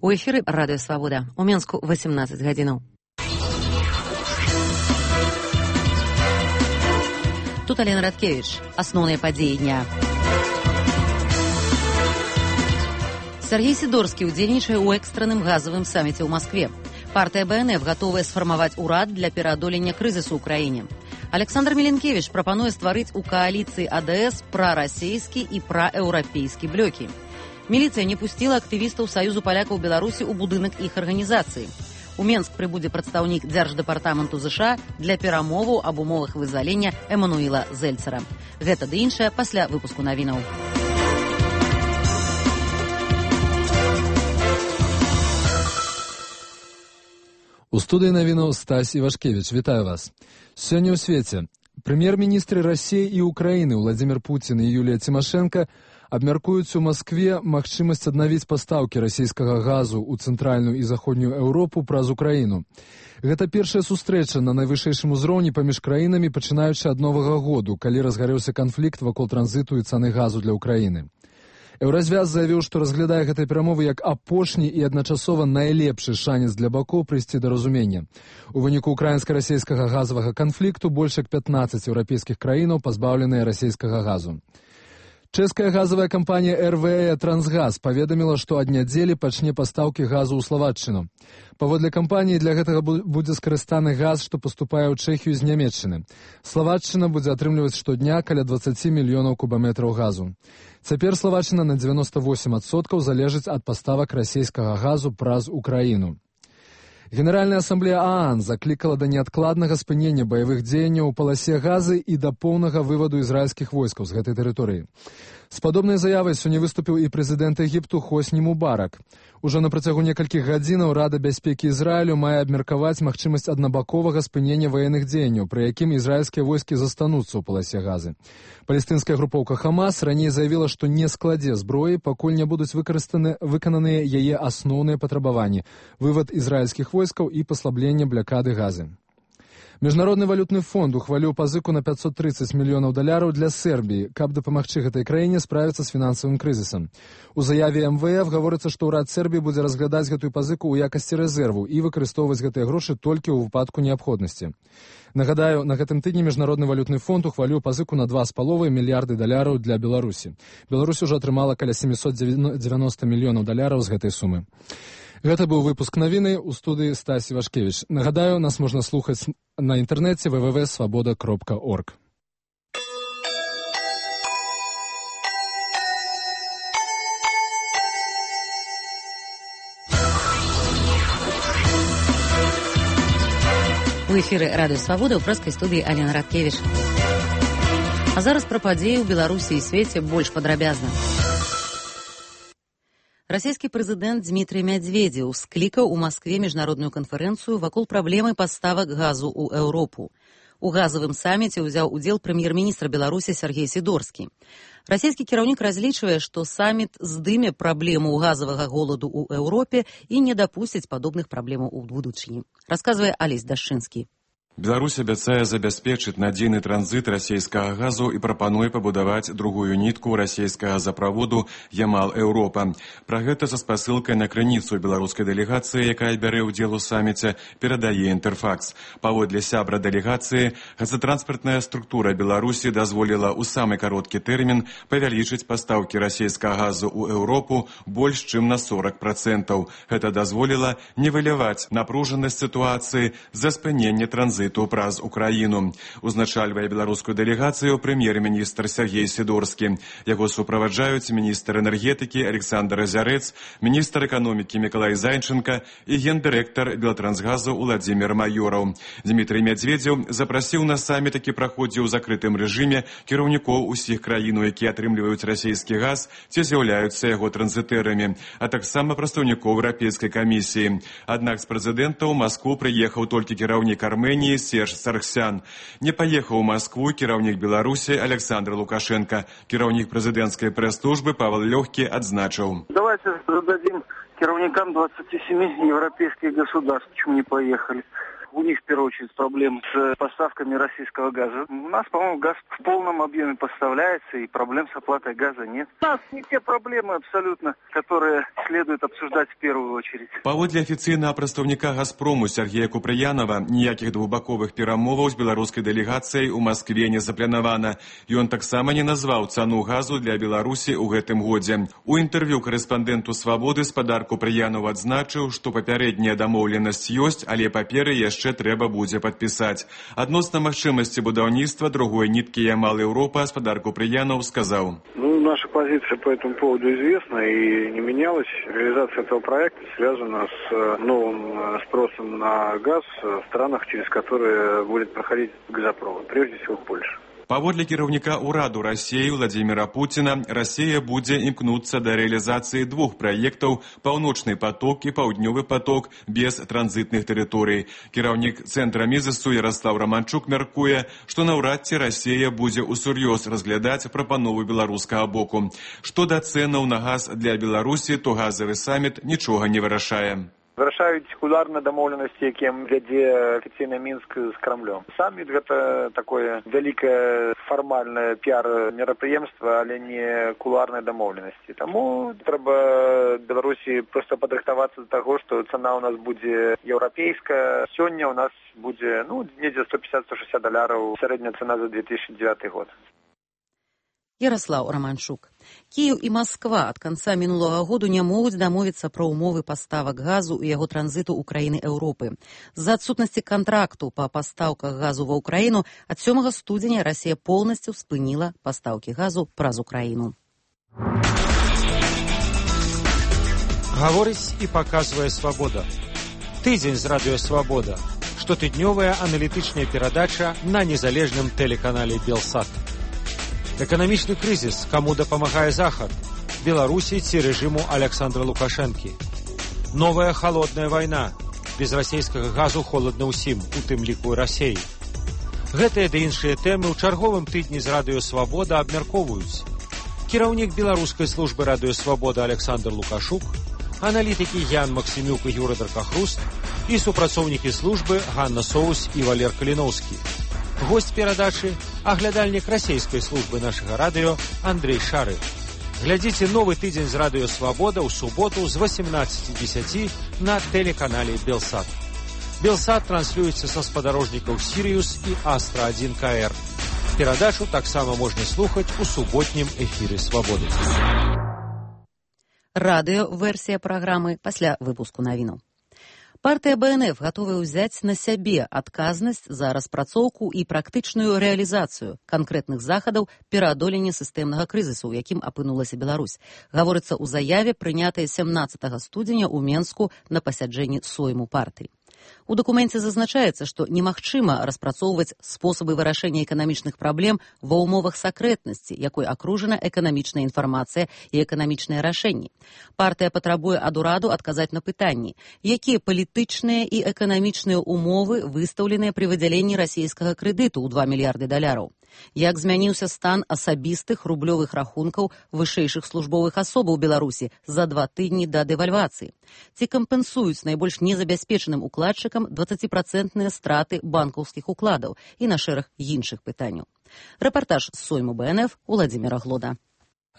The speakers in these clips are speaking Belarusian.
У эфіры Радыё Свабода. У Менску 18 гадзінаў. Тут Алена Радкевич. Асноўныя падзеі дня. Сергей Сидорский удзельнічае ў экстранным газавым саміце ў Москве. Партыя БНФ гатовая сфармаваць урад для пераадолення крызісу ў краіне. Александр Миленкевич прапануе стварыць у кааліцыі АДС прарасійскі і праеўрапейскі блокі. Міліцыя не пусціла актывістаў Саюзу палякаў Беларусі ў будынак іх арганізацыі. У Менск прыбудзе прадстаўнік Дзярждэпартаменту ЗША для перамоваў аб умовах вызвалення Эмануіла Зельцера. Гэта ды іншае пасля выпуску навінаў. У студыі навінаў Стась Івашкевіч. Вітаю вас. Сёння ў свеце прэм'ер-міністры Расіі і Украіны Владзімір Пуцін і Юлія Цімашэнка абмяркуюць у Маскве магчымасць аднавіць пастаўкі расійскага газу ў цэнтральную і заходнюю Еўропу праз Украіну. Гэта першая сустрэча на найвышэйшым узроўні паміж краінамі, пачынаючы ад Новага году, калі разгарэўся канфлікт вакол транзіту і цаны газу для Украіны. Еўразвяз заявіў, што разглядае гэтыя перамовы як апошні і адначасова найлепшы шанец для бакоў прыйсці да разумення. У выніку украінска-расійскага газавага канфлікту больш як 15 еўрапейскіх краінаў пазбаўленыя расійскага газу. Чэшская газавая кампанія РВЭ «Трансгаз» паведаміла, што ад нядзелі пачне пастаўкі газу ў Славаччыну. Паводле кампаніі для гэтага будзе скарыстаны газ, што паступае ў Чэхію з Нямецчыны. Славаччына будзе атрымліваць штодня каля 20 мільёнаў кубаметраў газу. Цяпер Славаччына на 98% залежыць ад паставак расійскага газу праз Украіну. Генеральная асамблея ААН заклікала да неадкладнага спынення баявых дзеянняў у паласе Газы і да поўнага вываду ізраільскіх войскаў з гэтай тэрыторыі. З падобнай заявай сёння выступіў і прэзідэнт Егіпту Хосні Мубарак. Ужо на працягу некалькіх гадзінаў Рада бяспекі Ізраілю мае абмеркаваць магчымасць аднабаковага спынення ваенных дзеянняў, пры якім ізраільскія войскі застануцца ў паласе Газы. Палестынская групоўка Хамас раней заявіла, што не складзе зброі, пакуль не будуць выкананыя яе асноўныя патрабаванні – вывад ізраільскіх войскаў і паслабленне блакады Газы. Міжнародны валютны фонд ухваліў пазыку на $530 мільёнаў для Сербіі, каб дапамагчы гэтай краіне справіцца з фінансавым крызісам. У заяве МВФ гаворыцца, што ўрад Сербіі будзе разглядаць гэтую пазыку ў якасці рэзерву і выкарыстоўваць гэтыя грошы толькі ў выпадку неабходнасці. Нагадаю, на гэтым тыдні Міжнародны валютны фонд ухваліў пазыку на $2,5 мільярды для Беларусі. Беларусь ужо атрымала каля $790 мільёнаў з гэтай сумы. Гэта быў выпуск навіны ў студыі Стась Івашкевіч. Нагадаю, нас можна слухаць на інтэрнэце www.svoboda.org. У эфіры Радыё Свабода ў прэскай студыі Алена Радкевіч. А зараз пра падзеі ў Беларусі і свеце больш падрабязна. Расійскі прэзідэнт Дмітрый Мядзведзеў склікаў у Маскве міжнародную канферэнцыю вакол праблемы паставак газу ў Еўропу. У газавым саміце ўзяў удзел прэм'ер-міністр Беларусі Сергей Сидорский. Расійскі кіраўнік разлічвае, што саміт здыме праблему газавага голаду ў Еўропе і не дапусціць падобных праблемаў у будучыні. Расказвае Алесь Дашчынскі. Беларусь абяцае забяспечыць надзейны транзіт расійскага газу і прапануе пабудаваць другую нітку расійскага газаправоду Ямал-Еўропа. Пра гэта са спасылкай на крыніцу беларускай дэлегацыі, якая бярэ ўдзел у саміце, перадае Інтэрфакс. Паводле сябра дэлегацыі, газатранспартная структура Беларусі дазволіла ў самы кароткі тэрмін павялічыць пастаўкі расійскага газу ў Еўропу больш чым на 40%. Гэта дазволіла не выліваць напружанасць сітуацыі за спыненне транзіту праз Украіну. Узначальвае беларускую дэлегацыю прэм'ер-міністр Сергей Сидорский. Яго суправаджаюць міністр энергетыкі Александр Азярэц, міністр эканомікі Мікалай Зайченка і гендырэктар Белтрансгазу Уладзімір Майораў. Дмітрый Мядзведзеў запрасіў на саміт, які праходзіў у закрытым рэжыме, кіраўнікоў усіх краін, якія атрымліваюць расійскі газ ці з'яўляюцца яго транзітэрамі, а таксама прадстаўнікоў Еўрапейскай камісіі. Аднак з прэзідэнта ў Маскву прыехаў толькі кіраўнік Арменіі Серж Саргсян. Не паехаў у Маскву кіраўнік Беларусі Александр Лукашенко. Кіраўнік прэзідэнцкай прэс-службы Павел Лёгкі адзначыў. Давайте зададим кіраўникам 27 европейских государств, почему не поехали. У них, в первую очередь, проблем с поставками российского газа. У нас, по-моему, газ в полном объеме поставляется, и проблем с оплатой газа нет. У нас не те проблемы абсолютно, которые следует обсуждать в первую очередь. Паводле афіцыйнага прадстаўніка «Газпрому» Сергея Купрыянова, ніякіх двухбаковых перамоваў з беларускай дэлегацыяй у Маскве не запланавана. Ён таксама не назваў цану газу для Беларусі ў гэтым годзе. У інтэрв'ю корэспандэнту «Свабоды» спадар Купрыянов адзначыў, што папярэдняя дамоўленасць ёсць, але паперы яшчэ трэба будзе падпісаць. Адносна магчымасці будаўніцтва другой ніткі Ямал-Европа спадар Купрыянов сказаў. Наша позиция по этому поводу известна и не менялась. Реализация этого проекта связана с новым спросом на газ в странах, через которые будет проходить газопровод, прежде всего в Польше. Паводле кіраўніка ўраду Расіі Владзіміра Пуціна, Расія будзе імкнуцца да рэалізацыі двух праектаў «Паўночны поток» і «Паўднёвы поток» без транзітных тэрыторый. Кіраўнік Цэнтра Мізісу Ярослав Романчук мяркуе, што наўрад ці Расія будзе ўсур'ёз разглядаць прапанову беларускага боку. Што да цэнаў на газ для Беларусі, то газавы саміт нічога не вырашае. Вырашаюць кулуарныя дамоўленасці, якім вядзе афіцыйна Мінск з Крамлём. Саміт гэта такое вялікае фармальнае піар-мерапрыемства, але не кулуарныя дамоўленасці. Таму трэба Беларусі проста падрыхтавацца да таго, што цана ў нас будзе еўрапейская. Сёння ў нас будзе, недзе $150–160, сярэдняя цана за 2009 год. Ярослав Романчук. Киев и Москва от конца минулого года не могут домовиться про умовы поставок газу и его транзиту Украины Европы. За отсутности контракту по поставках газу в Украину от 7 студеня Россия полностью спынила поставки газу праз Украину. Гаворыць і паказвае «Свабода». Тыдзень з радыё «Свабода». Штотыднёвая аналітычная перадача на незалежным тэлеканале «Белсат». Эканамічны крызіс, каму дапамагае Захад, Беларусі ці рэжыму Александра Лукашэнкі. Новая халодная вайна, без расійскага газу холадна ўсім, у тым ліку Расіі. Гэтыя ды іншыя тэмы ў чарговым тыдні з радыё «Свабода» абмяркоўваюць. Кіраўнік беларускай службы радыё «Свабода» Александр Лукашук, аналітыкі Ян Максімюк і Юра Даркахруст і супрацоўнікі службы Ганна Соус і Валер Каліноўскі. Гость перадачы – аглядальнік расійскай службы нашага радыё Андрей Шары. Глядзіце новы тыдзень з радыё «Свабода» ў суботу з 18:10 на тэлеканале «Белсат». «Белсат» транслюецца са спадарожнікаў «Сіриус» і «Астра-1 КР». Перадачу таксама можна слухаць у суботнім эфіры «Свабоды». Радыё-версія праграмы пасля выпуску навінаў. Партыя БНФ гатовая ўзяць на сябе адказнасць за распрацоўку і практычную рэалізацыю канкрэтных захадаў пераадолення сістэмнага крызісу, у якім апынулася Беларусь. Гаворыцца ў заяве, прынятай 17 студзеня ў Менску на пасяджэнні сойму партыі. У дакуменце зазначаецца, што немагчыма распрацоўваць спосабы вырашэння эканамічных праблем ва ўмовах сакрэтнасці, якой акружана эканамічная інфармацыя і эканамічныя рашэнні. Партыя патрабуе ад ураду адказаць на пытанні, якія палітычныя і эканамічныя умовы выстаўленыя пры выдзяленні расійскага крэдыту ў $2 мільярды. Як змяніўся стан асабістых рублёвых рахункаў вышэйшых службовых асобаў Беларусі за 2 тыдні да дэвальвацыі? Ці кампенсуюць найбольш незабяспечаным укладчыкам 20% страты банкаўскіх укладаў і на шэраг іншых пытанняў? Рэпартаж з сойму БНФ Уладзіміра Глода.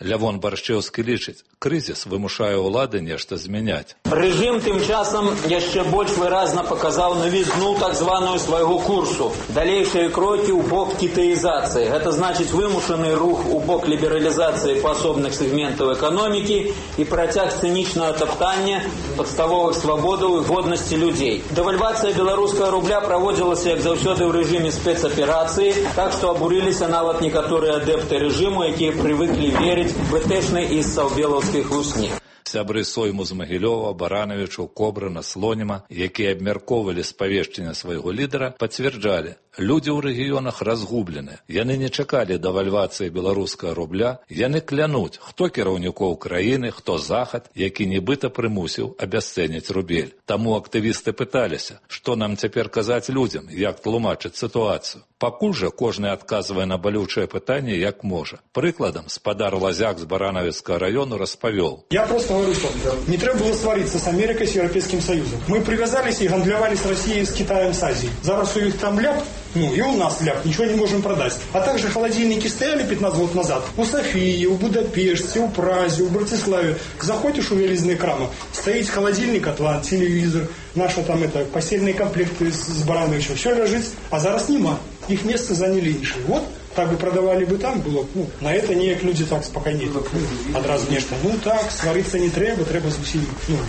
Лявон Баршчэўскі лічыць, крызіс вымушае ўлады нешта змяняць. Рэжым тым часам яшчэ больш выразна паказаў навізну так званую свайго курсу. Далейшыя крокі ў бок кітаізацыі. Гэта значыць вымушаны рух у бок лібералізацыі паасобных сегментаў эканомікі і працяг цынічнага таптання падставовых свабодаў і годнасці людзей. Дэвальвацыя беларускага рубля праводзілася, як заўсёды, ў рэжыме спецаперацыі, так што абурыліся нават некаторыя адэпты рэжыму, якія прывыклі верыць БТшнай і саўбелаўскай хлусні. Сябры сойму з Магілёва, Баранавічаў, Кобрына, Слоніма, якія абмяркоўвалі спавешчанне свайго лідара, пацвярджалі, Людзі ў рэгіёнах разгублены. Яны не чакалі дэвальвацыі беларускага рубля. Яны клянуць, хто кіраўнікоў краіны, хто захад, які нібыта прымусіў абясцэніць рубель. Таму актывісты пыталіся, што нам цяпер казаць людзям, як тлумачыць сітуацыю. Пакуль жа кожны адказвае на балючае пытанне, як можа. Прыкладам, спадар Лазяк з Баранавіцкага району распавёл. Я просто говорю, что не треба было свариться с Америкой, с Европейским Союзом. Мы привязались и гандлевали с Россией, с Китаем, с Азией. Зараз у них там ляп, и у нас ляп, ничего не можем продать. А также холодильники стояли 15 лет назад у Софии, у Будапеште, у Празе, у Братиславе. Заходишь у велизные крамы, стоит холодильник, Атлант, телевизор, наши там постельные комплекты с Барановичем. Все лежит, а зараз нема. Их место заняли іншие. Вот, так бы продавали бы там, было, на это ніяк люди так спокойнее. Одразу нечто, так, свариться не треба з усім,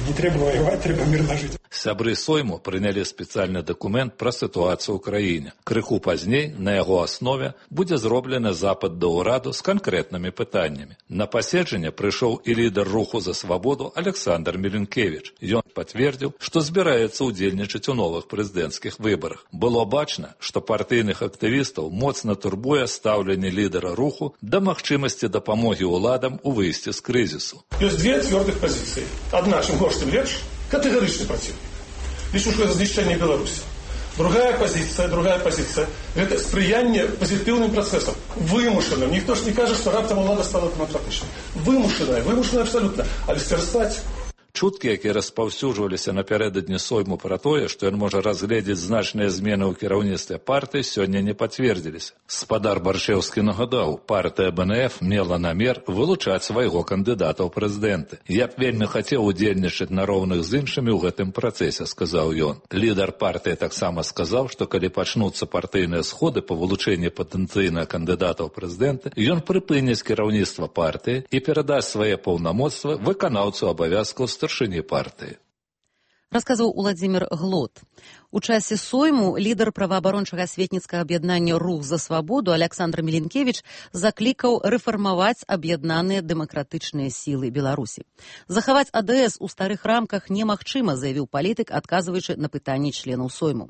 не треба воевать, треба мирно жить. Сябры Сойму прынялі спецыяльны дакумент пра сітуацыю ў краіне. Крыху пазней на яго аснове будзе зроблены запыт да ўраду з канкрэтнымі пытаннямі. На паседжанне прыйшоў і лідар руху за свабоду Александр Миленкевич. Ён пацвердзіў, што збіраецца ўдзельнічаць у новых прэзідэнцкіх выбарах. Было бачна, што партыйных актывістаў моцна турбуе стаўленне лідара руху да магчымасці дапамогі ўладам у выйсці з крызісу. Ёсць две цвёрдых пазіцыі. Адна, чым горш, тым лепш, категоричный против. Лишь уже различение Беларуси. Другая позиция – это сприяние позитивным процессам. Вымушенным. Никто же не кажет, что раптом влада стала демократичной. Вымушенная абсолютно. А листерствовать... Чуткі, якія распаўсюджваліся напярэдадні Сойму пра тое, што ён можа разгледзець значныя змены ў кіраўніцтве партыі, сёння не пацвердзіліся. Спадар Баршэўскі нагадаў, партыя БНФ мела намер вылучаць свайго кандыдата ў прэзідэнты. Я б вельмі хацеў удзельнічаць на роўных з іншымі ў гэтым працэсе, сказаў ён. Лідар партыі таксама сказаў, што калі пачнуцца партыйныя сходы па вылучэнні патэнцыйнага кандыдата ў прэзідэнты, ён прыпыніць кіраўніцтва партыі і перадасць свае паўнамоцтвы выканаўцу абавязкаў старшыні партыі. Расказаў Уладзімір Глот. У часе Сойму лідар праваабарончага асветніцкага аб'яднання «Рух за свабоду» Александр Миленкевич заклікаў рэфармаваць аб'яднаныя дэмакратычныя сілы Беларусі. Захаваць АДС у старых рамках немагчыма, заявіў палітык, адказваючы на пытанні членаў Сойму.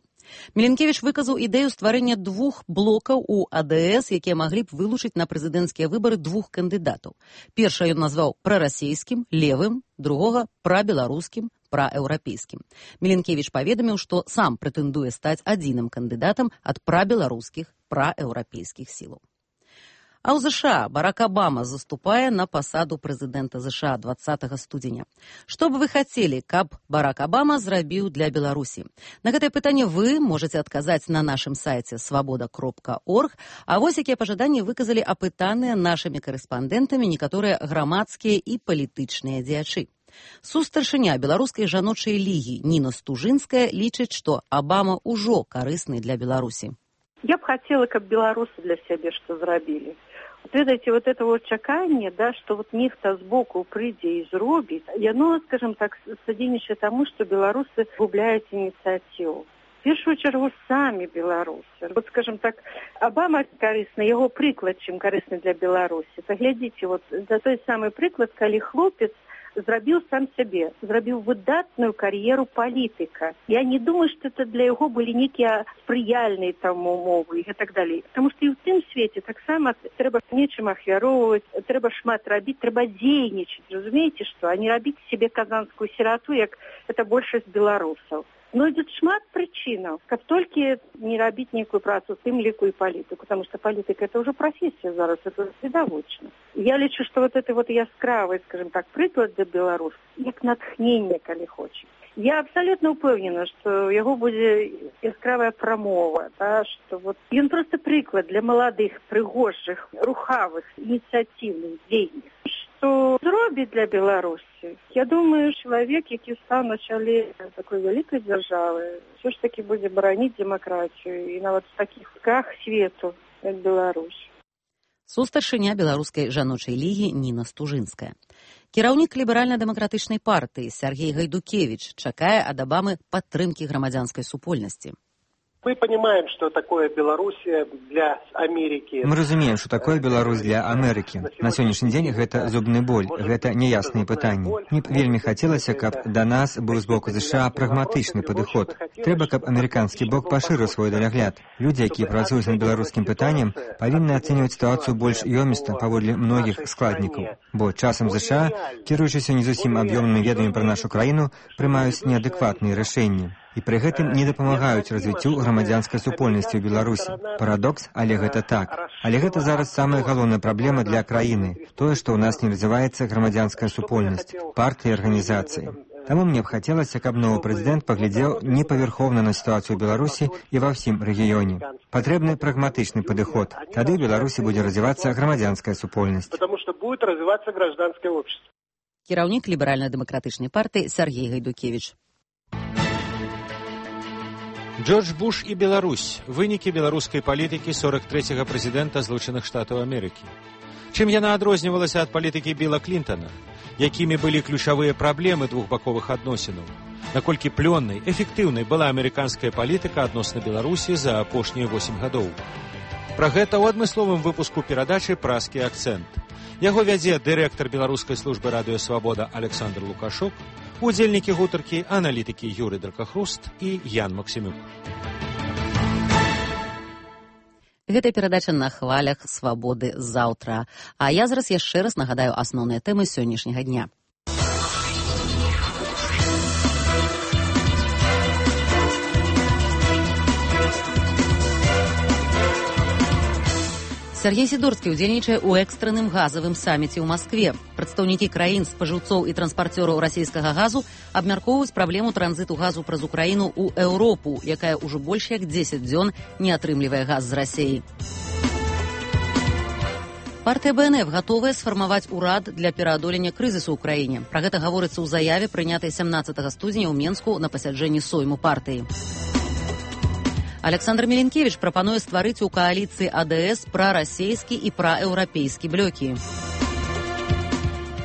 Миленкевич выказаў ідэю стварэння двух блокаў у АДС, якія маглі б вылучыць на прэзідэнцкія выбары двух кандыдатаў. Першае ён назваў прарасійскім, левым, другога прабеларускім, праеўрапейскім. Миленкевич паведаміў, што сам прэтэндуе стаць адзіным кандыдатам ад прабеларускіх, праеўрапейскіх сілаў. А ў ЗША Барак Абама заступае на пасаду прэзідэнта ЗША 20 студзеня. Што б вы хацелі, каб Барак Абама зрабіў для Беларусі? На гэтае пытанне вы можаце адказаць на нашым сайце свабода.орг, а вось якія пажаданні выказалі апытаныя нашымі карэспандэнтамі некаторыя грамадскія і палітычныя дзеячы. Сустаршыня беларускай жаночай лігі Ніна Стужынская лічыць, што Абама ўжо карысны для Беларусі. Я б хотела, как белорусы для себя что зрабілі. Ведаеце, вот это вот чаканне, да, что вот нехта збоку прыйдзе і зробіць, яно, скажем так, садзейнічае таму, што беларусы губляюць ініцыятыву. В першую чаргу самі беларусы. Вот, скажем так, Абама карысны, яго прыклад, чым карысны для Беларусі. Паглядзіце, вот за той самы прыклад, калі хлопец зрабіў сам сябе, зрабіў выдатную кар'еру палітыка. Я не думаю, што это для яго былі нейкія спрыяльныя там умовы і так далей. Таму што і ў тым свеце таксама трэба нечым ахвяроўваць, трэба шмат рабіць, трэба дзейнічаць. Разумееце, што? А не рабіць себе казанскую сірату, як это большасць беларусаў. Знойдзецца шмат прычынаў, каб толькі не рабіць нейкую працу, тым ліку і палітыку, потому что палітыка это уже профессия зараз, это відавочна. Я лічу, что вот это вот яскравый, скажем так, прыклад для беларусаў, як натхненне, калі хоча. Я абсолютно упэўнена, што яго будзе яскравая прамова, да, што вот ён просто прыклад для маладых, прыгожых, рухавых, ініцыятыўных дзейных. Што зробіць для Беларусі? Я думаю, чалавек, які стаў на чале такой вялікай дзяржавы, ўсё ж такі будзе бараніць дэмакратыю і нават в такіх ках свету, як Беларусь. Сустаршыня беларускай жаночай лігі Ніна Стужынская. Кіраўнік ліберальна-дэмакратычнай партыі Сяргей Гайдукевіч чакае ад Абамы падтрымкі грамадзянскай супольнасці. Мы понимаем, что такое Белоруссия для Америки. Мы разумеем, что такое Беларусь для Америки. На сегодняшний день гэта зубны боль, гэта неясныя пытанні. Мне б вельмі хацелася, каб да нас быў з боку США прагматычны падыход. Трэба, каб амерыканскі бок пашырыў свой далягляд. Людзі, якія працуюць над беларускім пытаннем, павінны ацэньваць сітуацыю больш ёміста паводле многіх складнікаў. Бо часам США, кіруючыся не зусім аб'ёмнымі ведамі пра нашу краіну, прымаюць неадэкватныя рашэнні. І пры гэтым не дапамагаюць развіццю грамадзянскай супольнасці ў Беларусі. Парадокс, але гэта так. Але гэта зараз самая галоўная праблема для краіны. Тое, што ў нас не развіваецца грамадзянская супольнасць, партыі і арганізацыі. Таму мне б хацелася, каб новы прэзідэнт паглядзеў непавярхоўна на сітуацыю ў Беларусі і ва ўсім рэгіёне. Патрэбны прагматычны падыход. Тады ў Беларусі будзе развівацца грамадзянская супольнасць. Потому что будет развиваться гражданское общество. Кіраўнік ліберальна-дэмакратычнай партыі Сергей Гайдукевич. Джордж Буш і Беларусь. Вынікі беларускай палітыкі 43-го прэзідэнта Злучаных Штатаў Амерыкі. Чым яна адрознівалася ад палітыкі Білла Клінтона? Якімі былі ключавыя праблемы двухбаковых адносінаў? Наколькі плённай, эфектыўнай была амерыканская палітыка адносна Беларусі за апошнія 8 гадоў? Пра гэта ў адмысловым выпуску перадачы «Празкі акцэнт». Яго вядзе дырэктар беларускай службы радыё «Свабода» Александр Лукашук, удзельнікі гутаркі, аналітыкі Юрый Дракахруст і Ян Максімюк. Гэта перадача на хвалях «Свабоды» заўтра. А я зараз яшчэ раз нагадаю асноўныя тэмы сённяшняга дня. Сергей Сидорскі ўдзельнічае ў экстранным газавым саміце ў Маскве. Прадстаўнікі краін, спажыўцоў і транспарцёраў расійскага газу абмяркоўваюць праблему транзіту газу праз Украіну ў Еўропу, якая ўжо больш як 10 дзён не атрымлівае газ з Расіі. Партыя БНФ гатовая сфармаваць урад для пераадолення крызісу ў краіне. Пра гэта гаворыцца ў заяве, прынятай 17 студзеня ў Менску на пасяджэнні сойму партыі. Александр Миленкевич прапануе стварыць у кааліцыі АДС прарасейскі і праеўрапейскі блокі.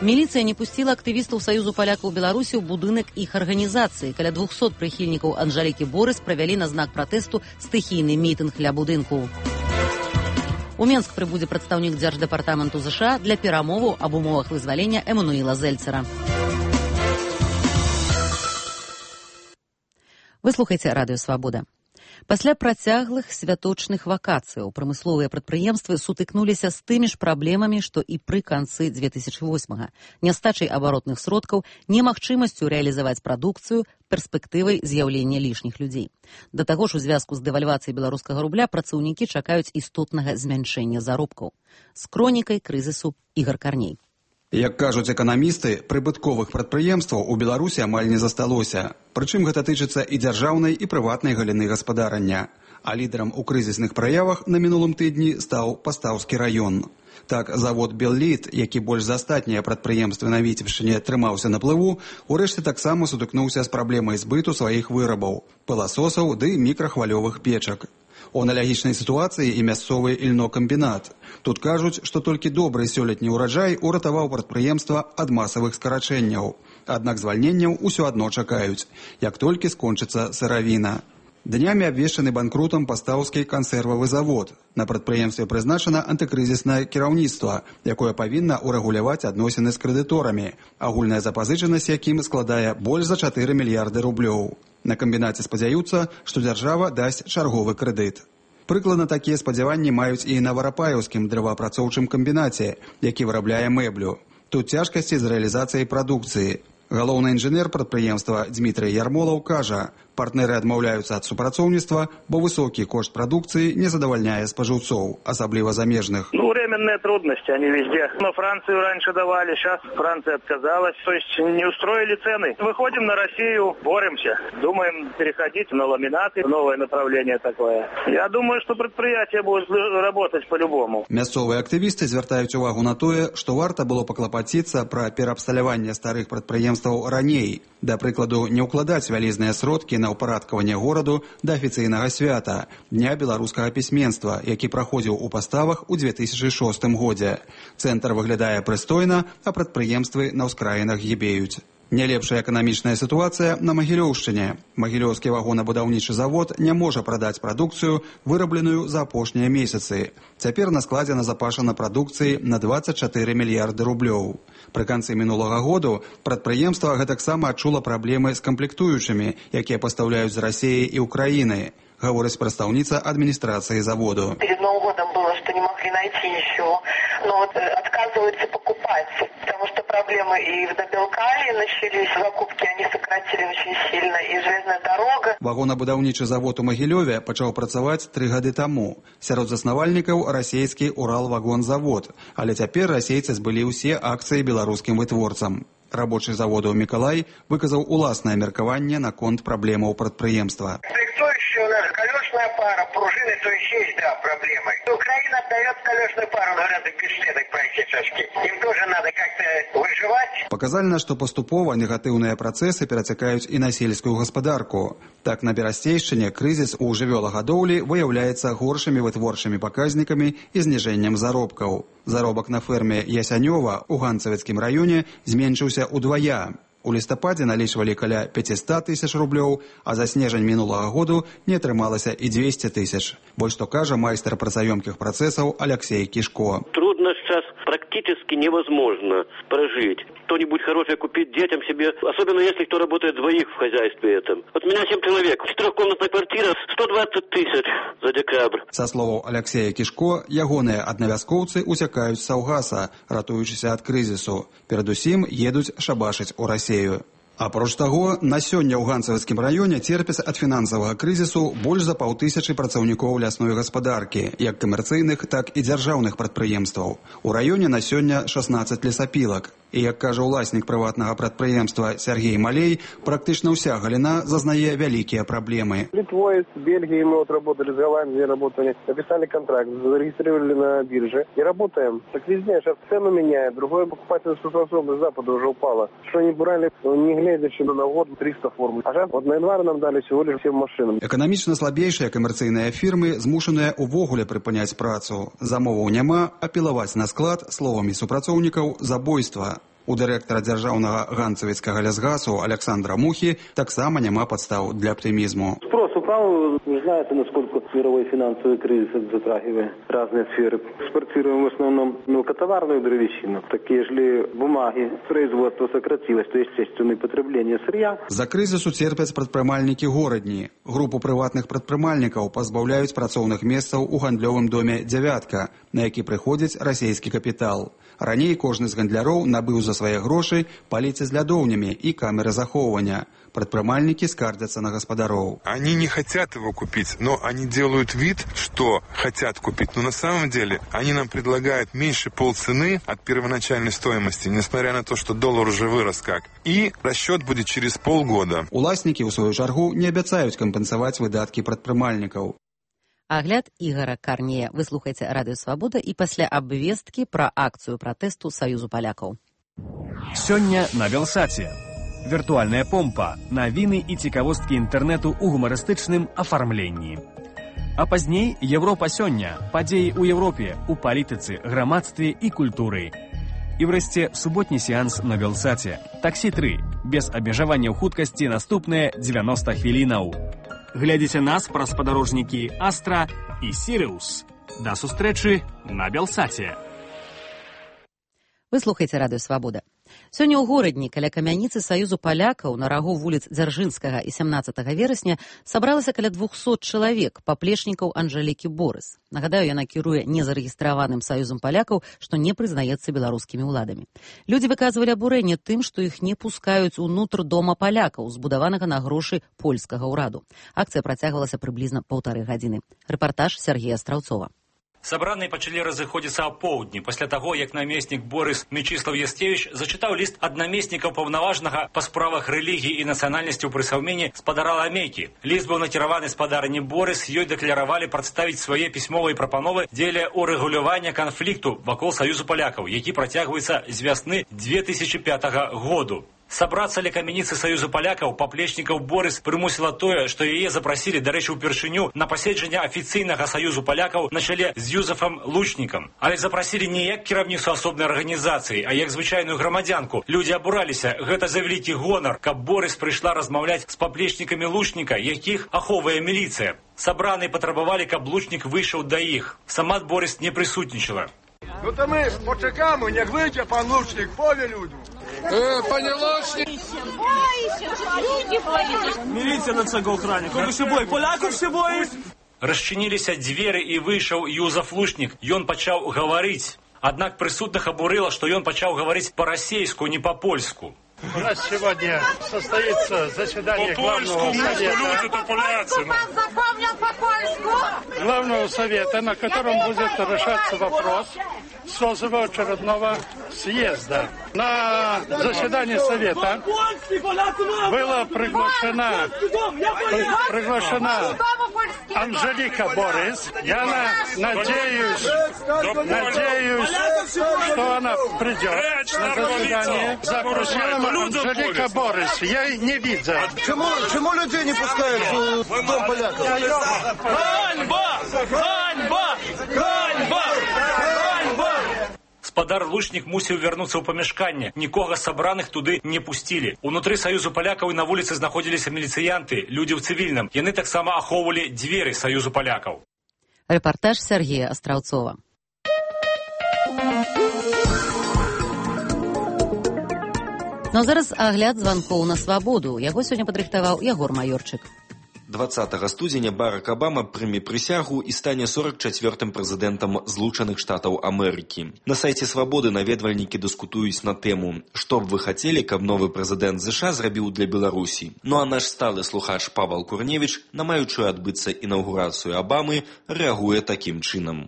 Міліцыя не пусціла актывістаў Саюзу палякаў Беларусі ў будынак іх арганізацыі. Каля 200 прыхільнікаў Анжалікі Борыс правялі на знак пратэсту стыхійны мітынг ля будынку. У Менск прыбудзе прадстаўнік Дзярждэпартаменту ЗША для перамоваў аб умовах вызвалення Эммануіла Зельцера. Вы слухаеце радыё «Свабода». Пасля працяглых святочных вакацыяў прамысловыя прадпрыемствы сутыкнуліся з тымі ж праблемамі, што і пры канцы 2008-га. Нястачай абаротных сродкаў, немагчымасцю рэалізаваць прадукцыю, перспектывай з'яўлення лішніх людзей. Да таго ж у звязку з дэвальвацыяй беларускага рубля працаўнікі чакаюць істотнага змяншэння заробкаў. З кронікай крызісу Ігор Карней. Як кажуць эканамісты, прыбытковых прадпрыемстваў у Беларусі амаль не засталося. Прычым гэта тычыцца і дзяржаўнай, і прыватнай галіны гаспадарання. А лідарам у крызісных праявах на мінулым тыдні стаў Пастаўскі раён. Так, завод «Беллит», які больш за астатнія прадпрыемствы на Віцебшчыне трымаўся на плыву, урэшце таксама сутыкнуўся з праблемай збыту сваіх вырабаў – пыласосаў ды мікрахвалёвых печак. У аналагічнай сітуацыі і мясцовы ільнокамбінат. Тут кажуць, што толькі добры сёлетні ўраджай уратаваў прадпрыемства ад масавых скарачэнняў. Аднак звальненняў усё адно чакаюць, як толькі скончыцца сыравіна. Днямі абвешчаны банкрутам Пастаўскі кансервавы завод. На прадпрыемстве прызначана антыкрызіснае кіраўніцтва, якое павінна ўрэгуляваць адносіны з крэдыторамі, агульная запазычанасць якім складае больш за 4 мільярды рублёў. На камбінаце спадзяюцца, што дзяржава дасць чарговы крэдыт. Прыкладна такія спадзяванні маюць і на Варапаеўскім дрэваапрацоўчым камбінаце, які вырабляе мэблю. Тут цяжкасці з рэалізацыяй прадукцыі. Галоўны інжынер прадпрыемства Дмітрый Ярмолаў кажа, партнеры адмаўляюцца ад супрацоўніцтва, бо высокі кошт прадукцыі не задавальняе спажыўцоў, асабліва замежных. Временные трудности, они везде. Но Францию раньше давали, сейчас Франция отказалась. То есть не устроили цены. Выходим на Россию, боремся. Думаем переходить на ламинаты, новое направление такое. Я думаю, что предприятие будет работать по-любому. Мясцовыя актывісты звяртаюць увагу на тое, што варта было паклапаціцца пра пераабсталяванне старых прадпрыемстваў раней. Да прыкладу, не ўкладаць вялізныя сродкі на ўпарадкаванне гораду да афіцыйнага свята – Дня беларускага пісьменства, які праходзіў у Паставах у 2006 годзе. Цэнтр выглядае прыстойна, а прадпрыемствы на ўскраінах гібеюць. Нялепшая эканамічная сітуацыя на Магілёўшчыне. Магілёўскі вагонабудаўнічы завод не можа прадаць прадукцыю, вырабленую за апошнія месяцы. Цяпер на складзе назапашана прадукцыі на 24 мільярды рублёў. Пры канцы мінулага году прадпрыемства гэтаксама адчула праблемы з камплектуючымі, якія пастаўляюць з Расіі і Украіны, гаворыць прадстаўніца адміністрацыі заводу. Перед Новым годом было, что не могли найти ничего, но вот отказываются покупать, потому что проблемы и в Добелкале начались, закупки они сократили очень сильно, и железная дорога. Вагонабудаўнічы завод у Магілёве пачаў працаваць 3 гады таму. Сярод заснавальнікаў расійскі Уралвагонзавод, але цяпер расейцы збылі ўсе акцыі беларускім вытворцам. Рабочий заводу Миколай выказаў уласнае меркаванне наконт праблемаў прадпрыемства. Комплектующая у нас колесная пара, пружины, то есть, да, проблемы. Украина отдает колесную пару, гораздо пистолеток практически. Им тоже надо как-то выживать. Паказальна, што паступова негатыўныя працэсы перацякаюць і на сельскую гаспадарку. Так, на Берасцейшчыне крызіс у жывёлагадоўлі выяўляецца горшымі вытворчымі паказнікамі і зніжэннем заробкаў. Заробак на ферме Ясянёва у Ганцавецкім раёне зменшыўся ўдвая. У лістападзе налічвалі каля 500 тысяч рублёў, а за снежань мінулага году не атрымалася і 200 тысяч. Вось што кажа майстар працаёмкіх працэсаў Алексей Кишко. Трудно сейчас, практически невозможно прожить. Что-нибудь хорошее купить детям себе, особенно если кто работает двоих в хозяйстве этом. Вот у меня 7 человек, 4-комнатная квартира, 120 тысяч за декабрь. Са словаў Алексея Кишко, ягоныя аднавязкоўцы уцякаюць з Саўгаса, ратуючыся ад крызісу. Перадусім едуць шабашыць у Расею. Апроч таго, на сёння ў Ганцавецкім раёне церпяць ад фінансавага крызісу больш за 500 працаўнікоў лясной гаспадаркі, як камерцыйных, так і дзяржаўных прадпрыемстваў. У раёне на сёння 16 лесапілак. І, як кажа ўласнік прыватнага прадпрыемства Сергей Малей, практычна ўся галіна зазнае вялікія праблемы. Литвой, с Бельгией мы вот работали, с Голландией работали, написали контракт, зарегистрировали на бирже и работаем. Так везде, сейчас цену меняют, другое покупательская способность Запада уже упала. Что они брали, не глядя, что на год 300 форм. А сейчас вот на январь нам дали всего лишь 7 машин. Эканамічна слабейшыя камерцыйныя фірмы змушаныя увогуле прыпыняць працу. Замоваў няма, а пілаваць на склад, словамі супрацоўнікаў, забойства. У дырэктара дзяржаўнага ганцавецкага лясгасу Александра Мухи таксама няма падстаў для оптимизму. Спрос упал, вы знаете, насколько мировой финансовый кризис затрагивает разные сферы. Экспортируем в основном мелкотоварную древесину. Такие же бумаги, производство сократилось, то есть естественное потребление сырья. За кризису церпяць прадпрымальнікі горадні. Групу прыватных прадпрымальнікаў пазбаўляюць працоўных месцаў у гандлёвым доме «Дзявятка», на які прыходзіць расійскі капітал. Раней кожны з гандляроў набыў за свае грошы паліцы з лядоўнямі і камеры захоўвання. Прадпрымальнікі скардзяцца на гаспадароў. Они не хотят его купить, но они делают вид, что хотят купить. Но на самом деле они нам предлагают меньше полцены от первоначальной стоимости, несмотря на то, что доллар уже вырос как. И расчет будет через полгода. Уласнікі, у сваю чаргу, не абяцаюць кампенсаваць выдаткі прадпрымальнікаў. Агляд Ігора Карнея. Вы слухаеце Радыё Свабода і пасля абвесткі пра акцыю пратэсту Саюзу палякаў. Сёння на Белсаце. Віртуальная помпа. Навіны і цікавосткі інтэрнэту ў гумарыстычным афармленні. А пазней Европа сёння. Падзеі ў Европе, у палітыцы, грамадстве і культуры. І врэшце суботні сеанс на Белсаце. Таксі 3. Без абмежаванняў хуткасці наступныя 90 хвілінаў. Глядзіце нас праз спадарожнікі Астра і Сіриус. Да сустрэчы на Белсаце. Вы слухаеце Радыё Свабода. Сёння ў горадні каля камяніцы Саюзу палякаў на рагу вуліц Дзяржынскага і 17 верасня сабралася каля 200 чалавек, паплечнікаў Анжэлікі Борыс. Нагадаю, яна кіруе незарэгістраваным Саюзам палякаў, што не прызнаецца беларускімі ўладамі. Людзі выказвалі абурэнне тым, што іх не пускаюць унутр дома палякаў, збудаванага на грошы польскага ўраду. Акцыя працягвалася прыблізна 1,5 гадзіны. Рэпартаж Сергея Страўцова. Сабраныя пачалі разыходзіцца апоўдні пасля таго, як намеснік Борыс Мечыслав Ястевіч зачытаў ліст ад намеснікаў паўнаважнага па справах рэлігіі і нацыянальнасці ў прысаўменні спадара Ламейкі. Ліст быў накіраваны спадарні Борыс, ёй дэкларавалі прадставіць свае пісьмовыя прапановы дзеля урэгулявання канфлікту вакол Саюзу палякаў, які працягваецца з вясны 2005 году. Сабрацца ля камяніцы Саюзу палякаў паплечнікаў Борыс прымусіла тое, што яе запрасілі, дарэчы, упершыню на паседжанне афіцыйнага Саюзу палякаў на чале з Юзефам Лучнікам. Але запрасілі не як кіраўніцу асобнай арганізацыі, а як звычайную грамадзянку. Людзі абураліся, гэта за вялікі гонар, каб Борыс прыйшла размаўляць з паплечнікамі Лучніка, якіх ахоўвае міліцыя. Сабраныя патрабавалі, каб Лучнік выйшаў да іх. Сама Борыс не прысутнічала. Ну то ми почекаємо, як вийде пан Лучник, пові людям. Пане Лучник! Міліція на цього охрані. Кого ще бой? Поляков ще боїть? Расчыніліся дзверы і выйшаў Юзеф Лучнік. Ён пачаў гаварыць. Аднак прысутных абурыла, што ён пачаў гаварыць па-расейску, не па-польску. У нас сегодня состоится заседание Главного совета, на котором будет решаться вопрос созыва очередного съезда. На заседание совета была приглашена Анжелика Борис. Я надеюсь, что она придет на заседание. Запросила Анжелика Борис. Я не видел. Чему людей не пускают в дом поляков? Ганьба! Ганьба! Ганьба! Ганьба! Спадар Лучнік мусіў вярнуцца ў памяшканне. Нікога з сабраных туды не пусцілі. Унутры Саюзу палякаў і на вуліцы знаходзіліся міліцыянты, людзі ў цывільным. Яны таксама ахоўвалі дзверы Саюзу палякаў. Рэпартаж Сергея Астраўцова. Ну а зараз агляд званкоў на свабоду. Яго сёння падрыхтаваў Ягор Маёрчык. 20 студзеня Барак Абама прыме прысягу і стане 44-м прэзідэнтам Злучаных Штатаў Амерыкі. На сайце Свабоды наведвальнікі дыскутуюць на тэму, што б вы хацелі, каб новы прэзідэнт ЗША зрабіў для Беларусі. Ну а наш сталы слухач Павал Курневіч на маючую адбыцца інаўгурацыю Абамы рэагуе такім чынам.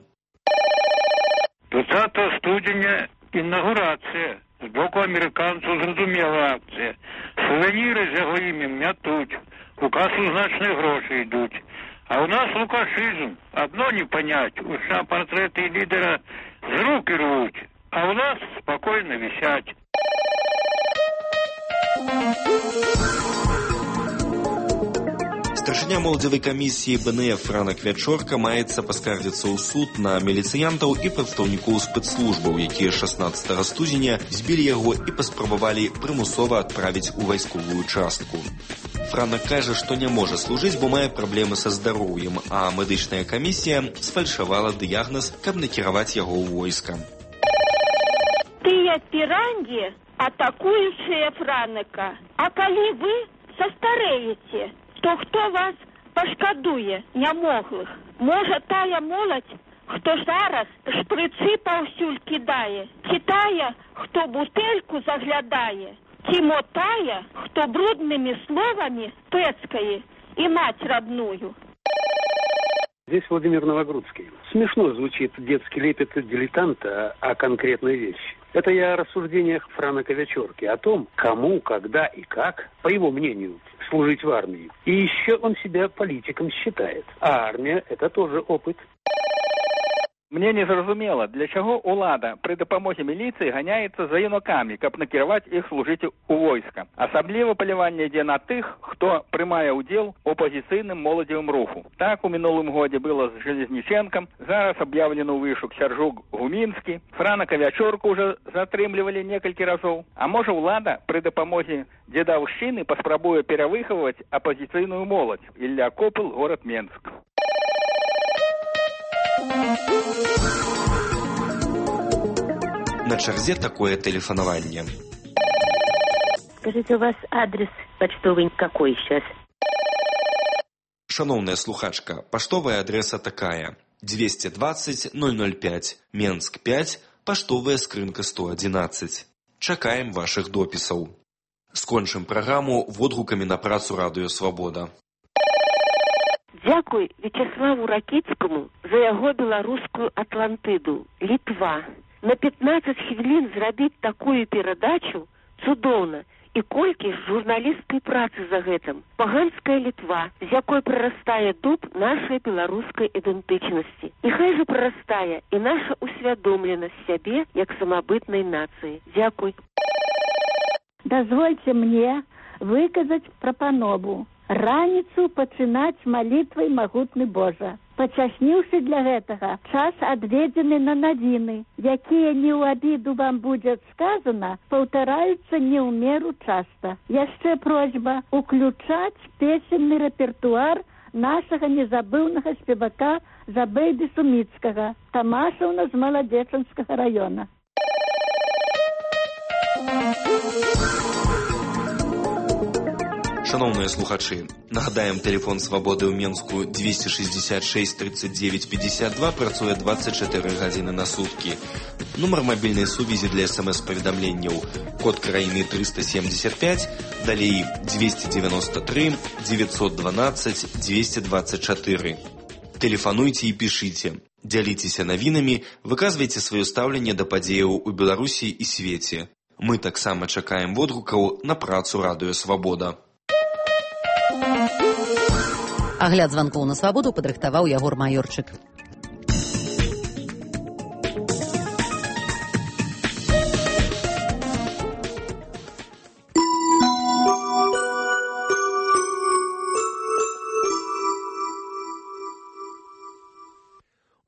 20 студзеня інаўгурацыя. З боку амерыканцаў зразумела акцыя. Сувеніры з яго імем мятуць. У касу значныя грошы ідуць. А ў нас лукашызм. Адно не панять. У США партрэты лідера з рук ірвуць. А ў нас спакойна вісяць. Старшыня моладзевай камісіі БНФ Франак Вячорка маецца паскардзіцца ў суд на міліцыянтаў і прадстаўнікоў спецслужбаў, якія 16 студзеня збілі яго і паспрабавалі прымусова адправіць у вайсковую частку. Франак кажа, што не можа служыць, бо мае праблемы са здароўем, а медычная камісія сфальшавала дыягназ, каб накіраваць яго ў войска. Тыя пірангі, атакуючыя Франака, а калі вы састарэеце, то хто вас пашкадуе нямоглых? Можа, тая моладзь, хто зараз шпрыцы паўсюль кідае, ці тая, хто бутэльку заглядае, ці мо тая, хто бруднымі словамі пэцкае і мать родную. Здесь Владимир Новогрудский. Смешно звучит детский лепет дилетанта о конкретной вещи. Это я о рассуждениях Франака Вячорки, о том, кому, когда и как, по его мнению, служить в армии. И еще он себя политиком считает. А армия – это тоже опыт. Мне не зразумела, для чаго ўлада пры дапамозе міліцыі ганяецца за юнакамі, каб накіраваць іх служыць у войска. Асабліва паляванне ідзе на тых, хто прымае ўдзел у апазіцыйным моладзевым руху. Так у мінулым годзе было з Железніченкам, зараз аб'яўлены ў вышук Сяржук Гумінскі, Франака Вячорку ўжо затрымлівалі некалькі разоў. А можа ўлада пры дапамозе дзедаўшчыны паспрабуе перавыхаваць апазіцыйную моладзь. Ілля Копыл, горад Менск. На чарзе такое тэлефанаванне. Скажите, у вас адрес почтовый какой сейчас? Шановная слухачка, паштовая адрэса такая: 220 005, Менск 5, паштовая скрынка 111. Чакаем вашых допісаў. Скончым праграму водгукамі на працу Радыё Свабода. Дзякуй Вячеславу Ракіцкаму за яго беларускую Атлантыду, Літва. На 15 хвілін зрабіць такую перадачу цудоўна. І колькі ж журналісцкай працы за гэтым. Паганская Літва, з якой прарастае дуб нашай беларускай ідэнтычнасці. І хай жа прарастае і наша усвядомленасць сябе як самабытнай нацыі. Дзякуй. Дазвольце мне выказаць прапанову. Раніцу пачынаць малітвай магутны Божа. Пачасніўшы для гэтага час адведзены на навіны, якія не ў абіду вам будзе сказана, паўтараюцца не ў меру часта. Яшчэ просьба уключаць песенны рэпертуар нашага незабыўнага спевака Забейды Суміцкага, Тамашаўна з Маладзечанскага района. Шановныя слухачы, нагадаем, тэлефон свабоды ў Менску 266 39 52 працуе 24 гадзіны на суткі. Нумар мабільнай сувязі для смс-паведамленняў код краіны 375, далей 293 912 224. Тэлефануйце і пішыце, дзяліцеся навінамі, выказвайце сваё стаўленне да падзеяў у Беларусі і свеце. Мы таксама чакаем водгукаў на працу радыё Свабода. Агляд званкоў на свабоду падрыхтаваў Ягор Маёрчык.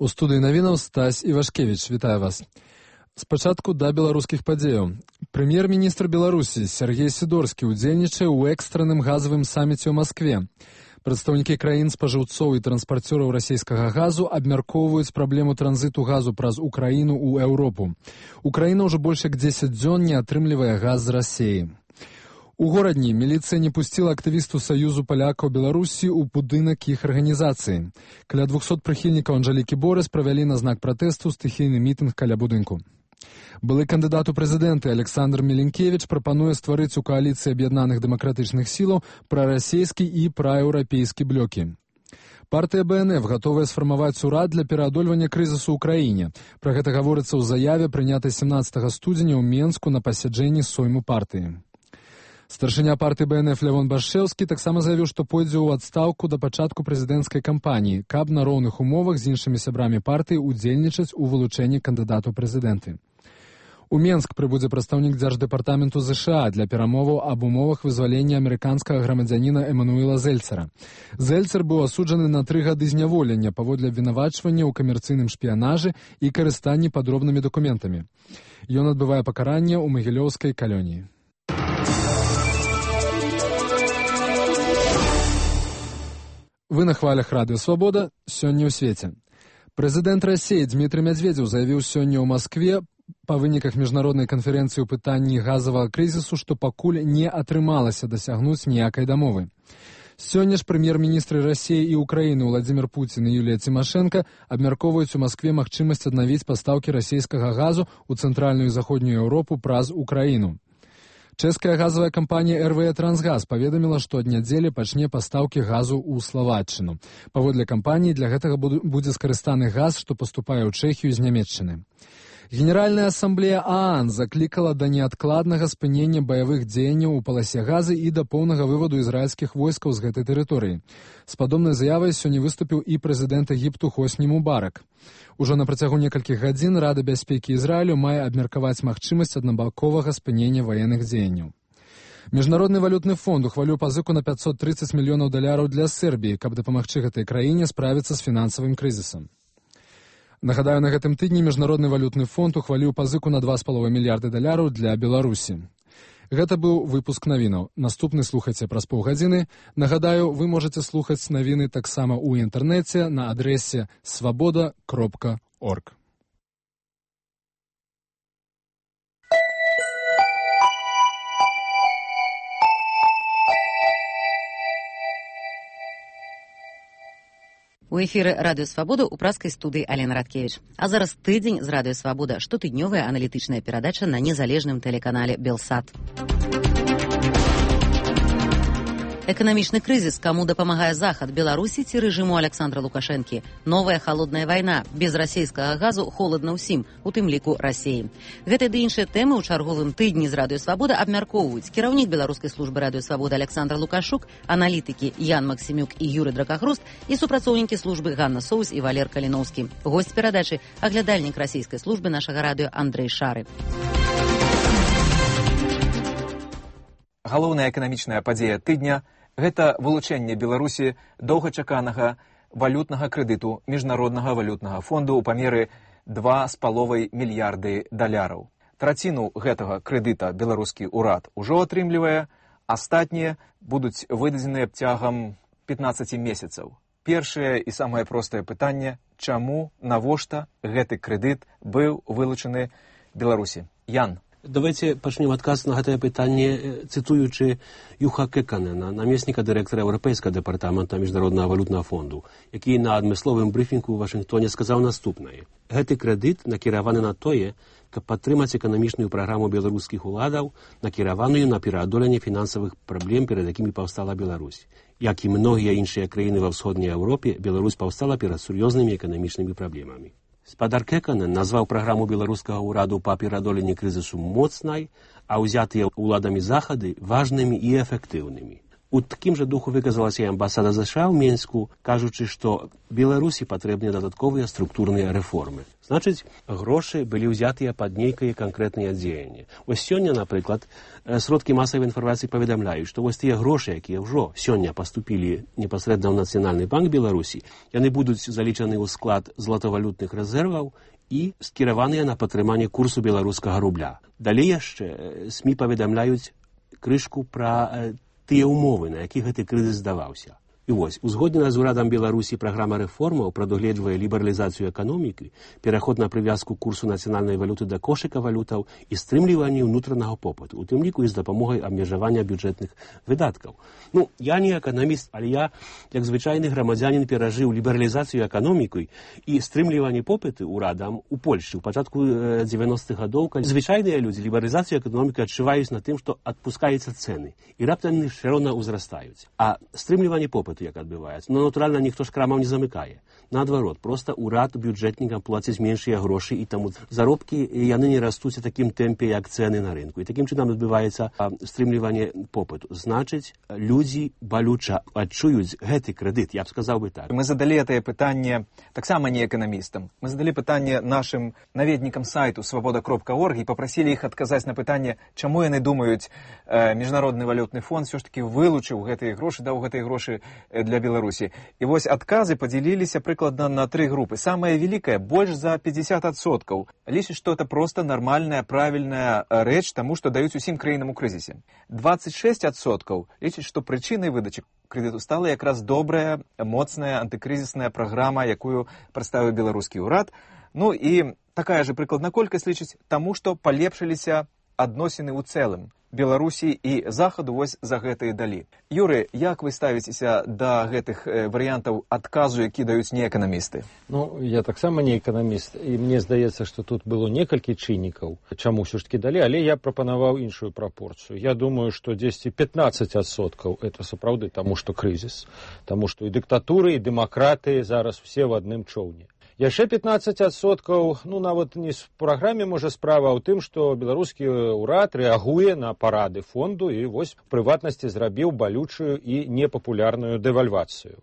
У студыі навінаў Стась Івашкевіч. Вітаю вас. Спачатку да беларускіх падзеяў. Прэм'ер-міністр Беларусі Сергей Сідорскі ўдзельнічае ў экстранным газавым саміце ў Маскве. Прадстаўнікі краін спажыўцоў і транспарцёраў расійскага газу абмяркоўваюць праблему транзіту газу праз Украіну ў Еўропу. Украіна ўжо больш як 10 дзён не атрымлівае газ з Расіі. У горадні міліцыя не пусціла актывісту Саюзу палякаў Беларусі ў будынак іх арганізацыі. Каля 200 прыхільнікаў Анжэлікі Борыс правялі на знак пратэсту стыхійны мітынг каля будынку. Былы кандыдат у прэзідэнты Александр Міленкевіч прапануе стварыць у кааліцыі аб'яднаных дэмакратычных сілаў прарасійскі і праеўрапейскі блокі. Партыя БНФ гатовая сфармаваць урад для пераадольвання крызісу ў краіне. Пра гэта гаворыцца ў заяве, прынятай 17 студзеня ў Менску на пасяджэнні сойму партыі. Старшыня партыі БНФ Лявон Башчэўскі таксама заявіў, што пойдзе ў адстаўку да пачатку прэзідэнцкай кампаніі, каб на роўных умовах з іншымі сябрамі партыі ўдзельнічаць у вылучэнні кандыдата ў прэзідэнты. У Менск прыбудзе прадстаўнік Дзярждэпартаменту ЗША для перамоваў аб умовах вызвалення амерыканскага грамадзяніна Эмануэла Зельцера. Зельцер быў асуджаны на 3 гады зняволення паводле абвінавачвання ў камерцыйным шпіянажы і карыстанні падробнымі дакументамі. Ён адбывае пакаранне ў магілёўскай калоніі. Вы на хвалях радыё Свабода сёння ў свеце. Прэзідэнт Расіі Дмітрый Мядзведзеў заявіў сёння ў Маскве па выніках міжнароднай канферэнцыі ў пытанні газавага крызісу, што пакуль не атрымалася дасягнуць ніякай дамовы. Сёння ж прэм'ер-міністры Расіі і Украіны Владзімір Пуцін і Юлія Цімашэнка абмяркоўваюць у Маскве магчымасць аднавіць пастаўкі расійскага газу ў цэнтральную і заходнюю Еўропу праз Украіну. Чэшская газавая кампанія РВЕ «Трансгаз» паведаміла, што ад нядзелі пачне пастаўкі газу ў Славаччыну. Паводле кампаніі для гэтага будзе скарыстаны газ, што паступае ў Чэхію з Нямецчыны. Генеральная асамблея ААН заклікала да неадкладнага спынення баявых дзеянняў у паласе газы і да поўнага вываду ізраільскіх войскаў з гэтай тэрыторыі. З падобнай заявай сёння выступіў і прэзідэнт Егіпту Хосні Мубарак. Ужо на працягу некалькіх гадзін Рада бяспекі Ізраілю мае абмеркаваць магчымасць аднабаковага спынення ваенных дзеянняў. Міжнародны валютны фонд ухваліў пазыку на $530 мільёнаў для Сербіі, каб дапамагчы гэтай краіне справіцца з фінансавым крызісам. Нагадаю, на гэтым тыдні Міжнародны валютны фонд ухваліў пазыку на $2,5 мільярды для Беларусі. Гэта быў выпуск навінаў. Наступны слухайце праз паўгадзіны. Нагадаю, вы можаце слухаць навіны таксама ў інтэрнэце на адрэсе swaboda.org. У эфіры радыё Свабода ў праскай студыі Алена Радкевіч. А зараз тыдзень з радыё Свабода, штотыднёвая аналітычная перадача на незалежным тэлеканале Белсат. Эканамічны крызіс, каму дапамагае Захад, Беларусі ці рэжыму Александра Лукашэнкі. Новая халодная вайна, без расійскага газу холадна ўсім, у тым ліку Расіі. Гэтыя ды іншыя тэмы ў чарговым тыдні з радыё Свабода абмяркоўваюць кіраўнік беларускай службы радыё Свабода Александр Лукашук, аналітыкі Ян Максімюк і Юрый Дракахруст і супрацоўнікі службы Ганна Соус і Валер Каліноўскі. Госць перадачы – аглядальнік расійскай службы нашага радыё Андрэй Шары. галоўная эканамічная падзея тыдня – гэта вылучэнне Беларусі доўгачаканага валютнага крэдыту Міжнароднага валютнага фонду ў памеры 2,5 мільярды даляраў. Траціну гэтага крэдыта беларускі ўрад ужо атрымлівае, астатнія будуць выдадзеныя цягам 15 месяцаў. Першае і самае простае пытанне – чаму, навошта гэты крэдыт быў вылучаны Беларусі? Ян. Давайте пачнем адказ на гэтае пытанне, цытуючы Юха Кеканена, намесніка дырэктара Еўрапейскага дэпартамента Міжнароднага валютнага фонду, які на адмысловым брыфінгу ў Вашынгтоне сказаў наступнае. Гэты крэдыт накіраваны на тое, каб падтрымаць эканамічную праграму беларускіх уладаў, накіраваную на пераадоленне фінансавых праблем, перад якімі паўстала Беларусь. Як і многія іншыя краіны ва ўсходняй Еўропе, Беларусь паўстала перад сур'ёзнымі эканамічнымі праблемамі. Спадар Кеканен назваў праграму беларускага ўраду па пераадоленні крызісу моцнай, а ўзятыя ўладамі захады важнымі і эфектыўнымі. У такім жа духу выказалася і амбасада США ў Менску, кажучы, што Беларусі патрэбныя дадатковыя структурныя рэформы. Значыць, грошы былі ўзятыя пад нейкае канкрэтнае дзеянне. Вось сёння, напрыклад, сродкі масавай інфармацыі паведамляюць, што вось тыя грошы, якія ўжо сёння паступілі непасрэдна ў Нацыянальны банк Беларусі, яны будуць залічаны ў склад златавалютных рэзерваў і скіраваныя на падтрыманне курсу беларускага рубля. Далей яшчэ СМІ паведамляюць крышку пра тыя ўмовы, на якіх гэты крызіс здаваўся. І вось, узгоднена з урадам Беларусі праграма рэформаў прадугледжвае лібералізацыю эканомікі, пераход на прывязку курсу нацыянальнай валюты да кошыка валютаў і стрымліванне ўнутранага попыту, у тым ліку і з дапамогай абмежавання бюджэтных выдаткаў. Я не эканаміст, але я, як звычайны грамадзянін, перажыў лібералізацыю эканомікай і стрымліванне попыту ўрадам у Польшчы ў пачатку 90-х гадоў, калі звычайныя людзі лібералізацыю эканомікі адчуваюць на тым, што адпускаюцца цэны, і раптам яны ўсё роўна ўзрастаюць. А стрымліванне попыту як адбываецца. Натуральна, ніхто ж крамаў не замыкае. Наадварот, проста ўрад бюджэтнікам плаціць меншыя грошы, і таму заробкі яны не растуць у такім тэмпе, як цэны на рынку. І такім чынам адбываецца стрымліванне попыту. Значыць, людзі балюча адчуюць гэты крэдыт, я б сказаў бы так. Мы задалі гэтае пытанне таксама не эканамістам. Мы задалі пытанне нашым наведнікам сайту свабода.орг і папрасілі іх адказаць на пытанне, чаму яны думаюць, Міжнародны валютны фонд все ж таки вылучыў гэтыя грошы, даў гэтыя грошы для Беларусі. І вось адказы падзяліліся прыкладна на 3 групы. Самая великая, больш за 50%, лічыць, што это просто нармальная, правільная рэч таму, што даюць усім краінам у крызісе. 26% лічыць, што прычынай выдачы крэдыту стала якраз добрая, моцная антыкрызісная праграма, якую прадставіў беларускі ўрад. І такая же прыкладна колькасць лічыць таму, што палепшыліся адносіны ў цэлым Беларусі і Захаду вось за гэтыя далі. Юры, як вы ставіцеся да гэтых варыянтаў адказу, які даюць неэканамісты? Я таксама не эканаміст, і мне здаецца, што тут было некалькі чыннікаў, чаму ўсё ж таки далі, але я прапанаваў іншую прапорцыю. Я думаю, што 10-15% это сапраўды таму, што крызіс, таму што і дыктатуры, і дэмакраты зараз усе в адным чоўне. Яшчэ 15%, нават не в праграме, можа, справа, а ў тым, што беларускі ўрад рэагуе на парады фонду і вось прыватнасці зрабіў балючую і непапулярную дэвальвацыю.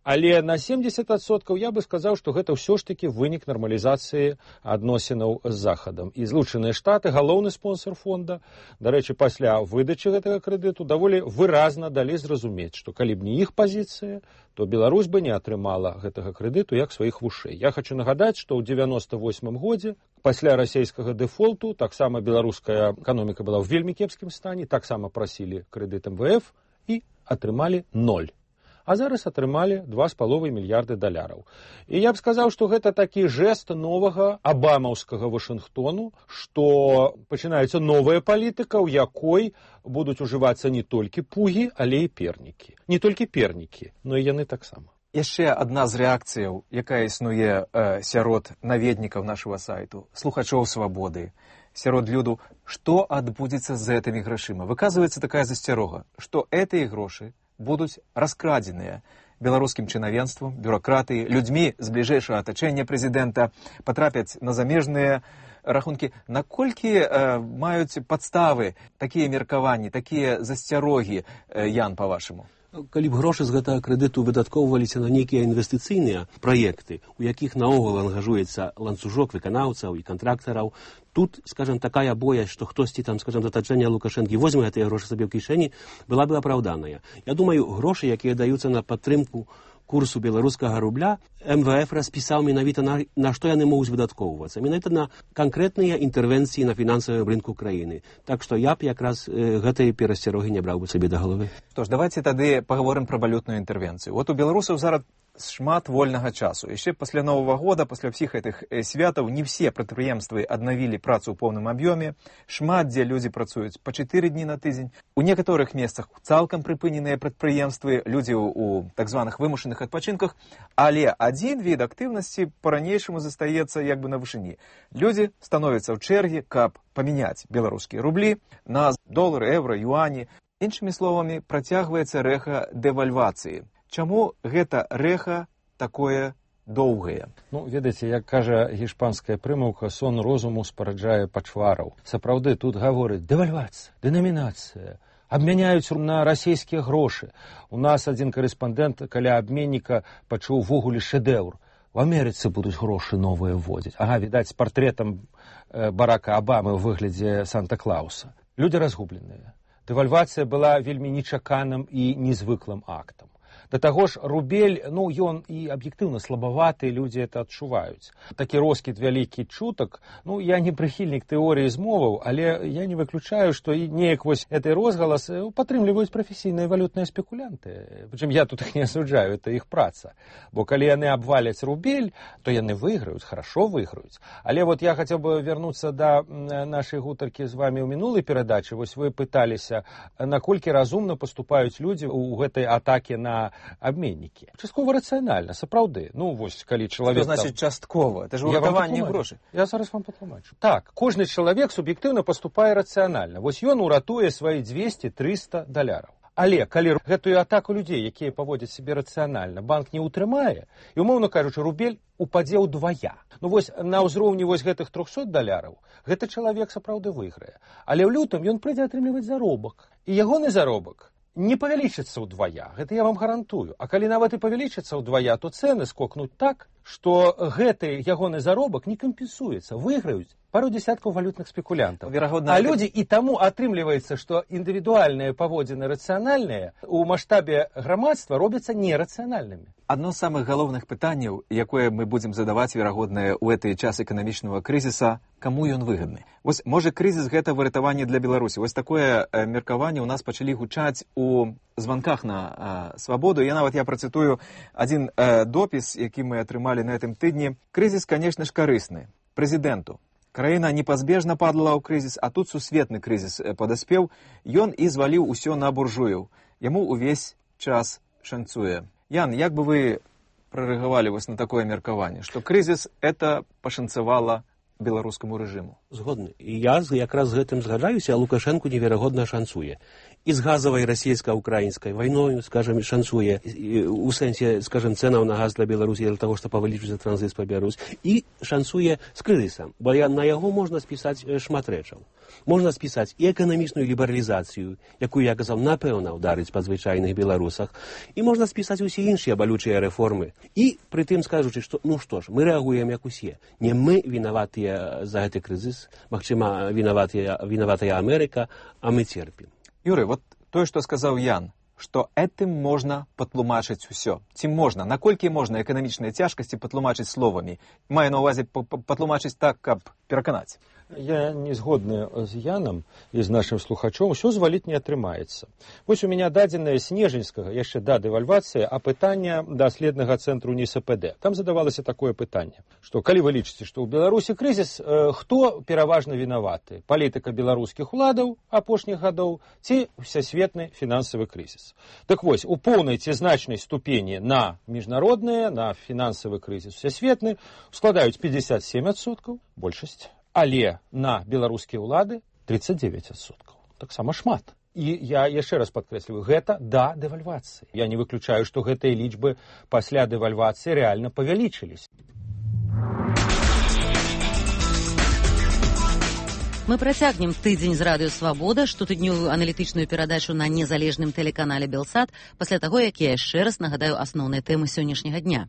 Але на 70% я бы сказаў, што гэта ўсё ж таки вынік нармалізацыі адносінаў з Захадам. І Злучаныя Штаты, галоўны спонсор фонда, дарэчы, пасля выдачы гэтага крэдыту даволі выразна далі зразумець, што калі б не іх пазіцыя, то Беларусь бы не атрымала гэтага крэдыту як сваіх вушэй. Я хочу нагадаць, што ў 98 годзе пасля расійскага дэфолту таксама беларуская эканоміка была ў вельмі кепскім стане, таксама прасілі крэдыт МВФ і атрымалі 0. А зараз атрымалі 2,5 мільярды даляраў. І я б сказаў, што гэта такі жэст новага абамаўскага Вашынгтону, што пачынаецца новая палітыка, у якой будуць ужывацца не толькі пугі, але і пернікі. Не толькі пернікі, но і яны таксама. Яшчэ адна з рэакцыяў, якая існуе сярод наведнікаў нашага сайту, слухачоў свабоды, сярод люду, што адбудзецца з гэтымі грашыма. Выказваецца такая засцярога, што гэтыя грошы будуць раскрадзеныя беларускім чынавенствам, бюракратыі, людзьмі з бліжэйшага атачэння прэзідэнта, патрапяць на замежныя рахункі. Наколькі маюць падставы такія меркаванні, такія засцярогі, Ян, па-вашаму? Калі б грошы з гэтага крэдыту выдаткоўваліся на нейкія інвестыцыйныя праекты, у якіх наогул ангажуецца ланцужок выканаўцаў і кантрактараў, тут, скажем, такая боязь, што хтосьці там, скажем, з атачэння Лукашэнкі возьме гэтыя грошы сабе ў кішэні, была бы апраўданая. Я думаю, грошы, якія даюцца на падтрымку курсу беларускага рубля, МВФ распісаў менавіта на што яны могуць выдаткоўвацца. Менавіта на канкрэтныя інтэрвенцыі на фінансавым рынку краіны. Так што я б якраз гэтай перасцярогі не браў бы сабе да галавы. Што ж, давайце тады паговорым пра валютную інтэрвенцыю. Вот у беларусаў зараз шмат вольнага часу. Яшчэ пасля Новага года, пасля ўсіх гэтых святаў, не все прадпрыемствы аднавілі працу ў поўным аб'ёме. Шмат дзе людзі працуюць па 4 дні на тыдзень. У некаторых месцах цалкам прыпыненыя прадпрыемствы, людзі ў так званых вымушаных адпачынках, але адзін від актыўнасці па-ранейшаму застаецца як бы на вышыні. Людзі становяцца ў чэргі, каб памяняць беларускія рублі на долары, еўра, юані. Іншымі словамі, працягваецца рэха дэвальвацыі. Чаму гэта рэха такое доўгае? Ну, ведаеце, як кажа гішпанская прымаўка, сон розуму спараджае пачвараў. Сапраўды, тут гаворыць дэвальвацыя, дэнамінацыя, абмяняюць на расійскія грошы. У нас адзін карэспандэнт каля абменніка пачуў ввогуле шэдэўр. У Амерыцы будуць грошы новыя вводзіць. Ага, відаць, з партрэтам Барака Абамы ў выглядзе Санта-Клауса. Людзі разгубленыя. Дэвальвацыя была вельмі нечаканым і незвыклым актам. Да таго ж, рубель, ён і аб'ектыўна слабаваты, людзі это адчуваюць. Такі роскід вялікі чутак, я не прыхільнік тэорыі змоваў, але я не выключаю, што і неяк вось гэты розгалас падтрымліваюць прафесійныя валютныя спекулянты. Прычым я тут іх не асуджаю, это іх праца. Бо калі яны абваляць рубель, то яны выйграюць, хорошо выйграюць. Але вот я хацеў бы вярнуцца да нашай гутаркі з вамі ў мінулай перадачы. Вось вы пыталіся, наколькі разумна паступаюць людзі ў гэтай атаке на абменнікі. Часткова рацыянальна, сапраўды. Вось, калі чалавек... Што значыць часткова? Это ж уратаванне грошай. Я зараз вам патлумачу. Так, кожны чалавек суб'ектыўна паступае рацыянальна. Вось ён уратуе свае 200-300 даляраў. Але калі гэтую атаку людзей, якія паводзяць сябе рацыянальна, банк не ўтрымае, і, умоўна кажучы, рубель упадзе ўдвая. Вось на ўзроўні вось гэтых 300 даляраў гэты чалавек сапраўды выйграе. Але ў лютым ён прыйдзе атрымліваць заробак. І ягоны заробак не павялічыцца ўдвая, гэта я вам гарантую. А калі нават і павялічыцца ўдвая, то цэны скокнуць так, што гэты ягоны заробак не кампенсуецца, выйграюць пару десяткаў валютных спекулянтаў. А людзі і таму атрымліваецца, што індывідуальныя паводзіны рацыянальныя у маштабе грамадства робяцца нерацыянальнымі. Адно з самых галоўных пытанняў, якое мы будзем задаваць, верагодна, у гэты час эканамічнага крызіса, каму ён выгадны? Вось, можа, крызіс гэта выратаванне для Беларусі. Вось такое меркаванне ў нас пачалі гучаць у званках на свабоду. Я працытую адзін допіс, які мы атрымалі на гэтым тыдні. Крызіс, канешне ж, карысны прэзідэнту. Краіна непазбежна падала ў крызіс, а тут сусветны крызіс падаспеў. Ён і зваліў усё на буржуяў. Яму ўвесь час шанцуе. Ян, як бы вы прарэагавалі вось на такое меркаванне, што крызіс это пашанцавала беларускаму рэжыму? Згодны. І я якраз з гэтым згаджаюся, а Лукашэнку неверагодна шанцуе. І з газавай расійска-украінскай вайною, скажем, шанцуе у сэнсе, скажем, цэнаў на газ для Беларусі для таго, што павялічыцца транзіт па Беларусь, і шанцуе з крызісам, бо на яго можна спісаць шмат рэчаў. Можна спісаць і эканамічную лібералізацыю, якую, я казаў, напэўна ўдарыць па звычайных беларусах, і можна спісаць усе іншыя балючыя рэформы. І прытым скажучы, што, што ж, мы рэагуем як усе. Не мы вінаватыя за гэты крызіс, магчыма, вінаватая Амерыка, а мы церпім. Юрый, вот тое, што сказаў Ян, што этым можна патлумачыць усё. Ці можна? Наколькі можна эканамічныя цяжкасці патлумачыць словамі? Маю на ўвазе патлумачыць так, каб пераканаць. Я не згодны з Янам і з нашым слухачом, усё зваліць не атрымаецца. Вось у мяне дадзенае снежаньскага, яшчэ да дэвальвацыі, апытання даследнага цэнтру НИСПД. Там задавалася такое пытанне, што калі вы лічыце, што ў Беларусі крызіс, хто пераважна вінаваты? Палітыка беларускіх уладаў апошніх гадоў ці всесветны фінансавы крызіс? Так вось, у поўнай ці значнай ступені на міжнародныя, на фінансавы крызіс всесветны складаюць 57%, большасць. Але на беларускія ўлады 39%. Таксама шмат. І я яшчэ раз падкрэсліваю, гэта да дэвальвацыі. Я не выключаю, што гэтыя лічбы пасля дэвальвацыі рэальна павялічыліся. Мы працягнем тыдзень з радыё «Свабода», штотыднёвую аналітычную перадачу на незалежным тэлеканале «Белсат», пасля таго, як я яшчэ раз нагадаю асноўныя тэмы сённяшняга дня.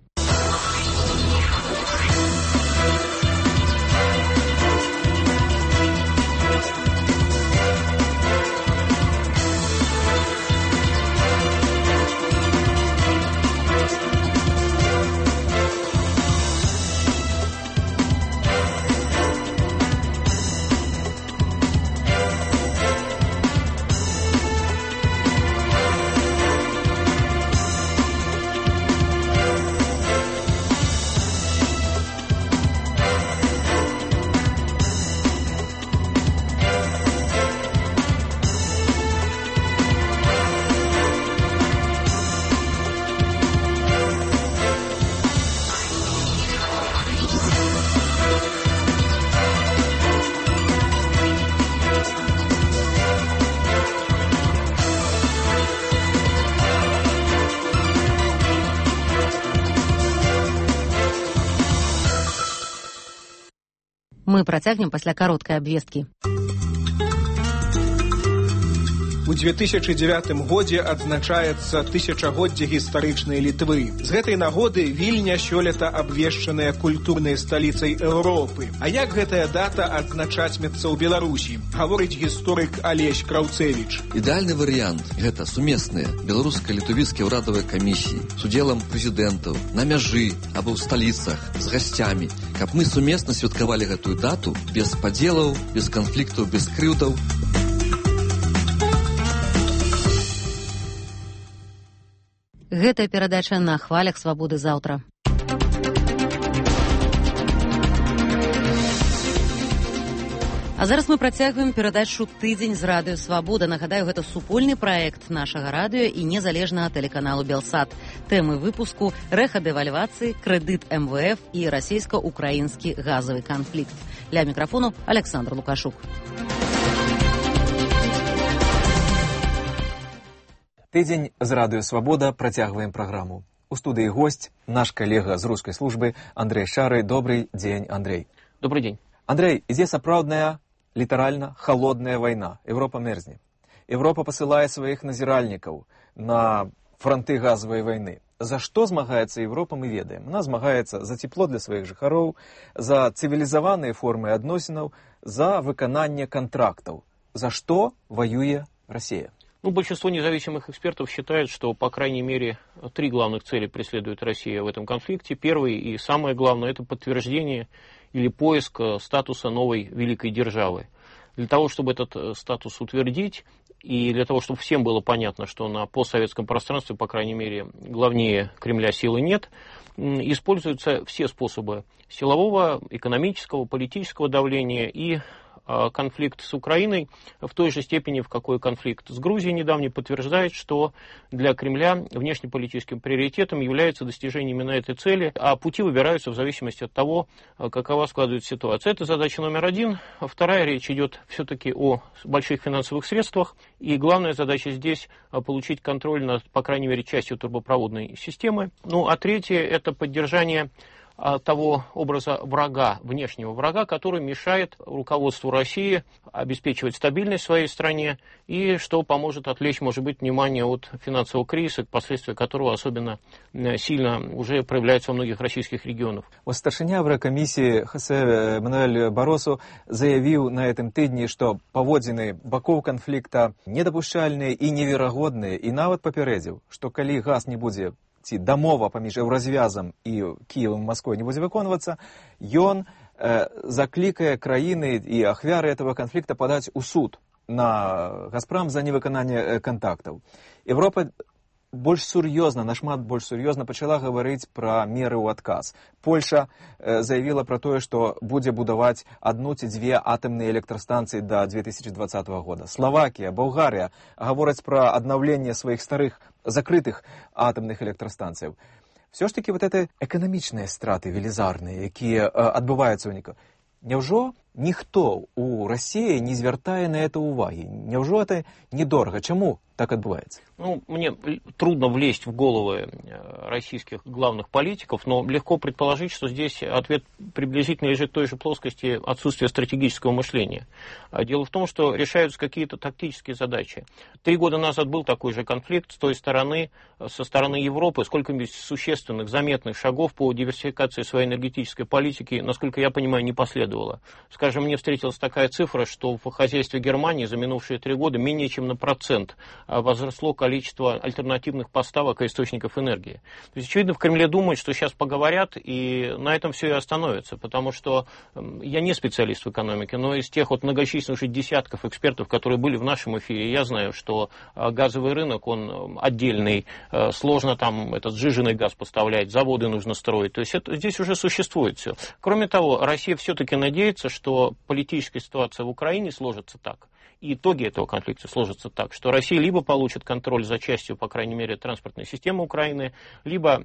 Мы працягнем пасля кароткай абвесткі. У 2009 годзе адзначаецца тысячагоддзе гістарычнай Літвы. З гэтай нагоды Вільня сёлета абвешчаная культурнай сталіцай Еўропы. А як гэтая дата адзначатьмецца ў Беларусі, гаворыць гісторык Алесь Краўцевіч. Ідэальны варыянт – гэта сумесныя беларуска-літвійскія ўрадавыя камісіі з удзелам прэзідэнтаў на мяжы або ў сталіцах з гасцямі, каб мы сумесна святкавалі гэтую дату без падзелаў, без канфліктаў, без крыўдаў. Гэтая перадача на хвалях «Свабоды» заўтра. А зараз мы працягваем перадачу «Тыдзень з радыё «Свабода». Нагадаю, гэта супольны праект нашага радыё і незалежнага тэлеканалу «Белсат». Тэмы выпуску – рэха-дэвальвацыі, крэдыт МВФ і расійска-украінскі газавы канфлікт. Ля мікрафону Александр Лукашук. Тыдзень з радыё «Свабода» працягваем праграму. У студыі госць, наш калега з рускай службы Андрэй Шары. Добрый дзень, Андрэй. Добрый дзень. Андрэй, ідзе сапраўдная, літаральна, халодная вайна. Еўропа мерзне. Еўропа пасылае сваіх назіральнікаў на фронты газавай вайны. За што змагаецца Еўропа, мы ведаем. Она змагаецца за цепло для сваіх жыхароў, за цывілізаваныя формы адносінаў, за выкананне контрактаў. За што воюе Россия? Большинство независимых экспертов считает, что, по крайней мере, 3 главных цели преследует Россия в этом конфликте. Первый и самое главное – это подтверждение или поиск статуса новой великой державы. Для того, чтобы этот статус утвердить, и для того, чтобы всем было понятно, что на постсоветском пространстве, по крайней мере, главнее Кремля силы нет, используются все способы силового, экономического, политического давления и конфликт с Украиной в той же степени, в какой конфликт с Грузией недавний, подтверждает, что для Кремля внешнеполитическим приоритетом является достижение именно этой цели, а пути выбираются в зависимости от того, какова складывается ситуация. Это задача номер один. Вторая, речь идет все-таки о больших финансовых средствах, и главная задача здесь получить контроль над, по крайней мере, частью турбопроводной системы. А третье – это поддержание того образа врага, внешнего врага, который мешает руководству России обеспечивать стабильность в своей стране и что поможет отвлечь, может быть, внимание от финансового кризиса, последствия которого особенно сильно уже проявляются во многих российских регионах. Старшыня Еврокомиссии Хосе Мануэль Баросу заявил на этом тыдні, что паводзіны бакоў конфликта недопушчальныя и неверагодныя, и нават папярэдзіў, что калі газ не будзе ці дамова паміж еўразвязам і Кіевам, Москвой не будзе выконвацца, ён заклікае краіны і ахвяры этого конфликта падаць у суд на Газпром за невыкананне контактаў. Европа больш сур'ёзна, нашмат больш сур'ёзна пачала гаварыць пра меры ў адказ. Польша заявіла пра тое, што будзе будаваць 1 ці 2 атамныя электрастанцыі да 2020 года. Словакія, Болгарыя гавораць пра аднаўленне сваіх старых закрытых атамных электрастанцыяў. Все ж таки вот это эканамічныя страты велізарныя, якія адбываюцца ў ніка. Няўжо ніхто у России не звяртае на это уваги. Няўжо это недорого? Чему так отбывается? Ну, мне трудно влезть в головы российских главных политиков, но легко предположить, что здесь ответ приблизительно лежит в той же плоскости отсутствия стратегического мышления. Дело в том, что решаются какие-то тактические задачи. 3 года назад был такой же конфликт с той стороны, со стороны Европы. Сколько-нибудь существенных, заметных шагов по диверсификации своей энергетической политики, насколько я понимаю, не последовало. Скажем, мне встретилась такая цифра, что в хозяйстве Германии за минувшие 3 года менее чем на 1% возросло количество альтернативных поставок и источников энергии. То есть, очевидно, в Кремле думают, что сейчас поговорят, и на этом все и остановится, потому что я не специалист в экономике, но из тех вот многочисленных уже десятков экспертов, которые были в нашем эфире, я знаю, что газовый рынок, он отдельный, сложно там этот сжиженный газ поставлять, заводы нужно строить, то есть это, здесь уже существует все. Кроме того, Россия все-таки надеется, что политическая ситуация в Украине сложится так, и итоги этого конфликта сложатся так, что Россия либо получит контроль за частью, по крайней мере, транспортной системы Украины, либо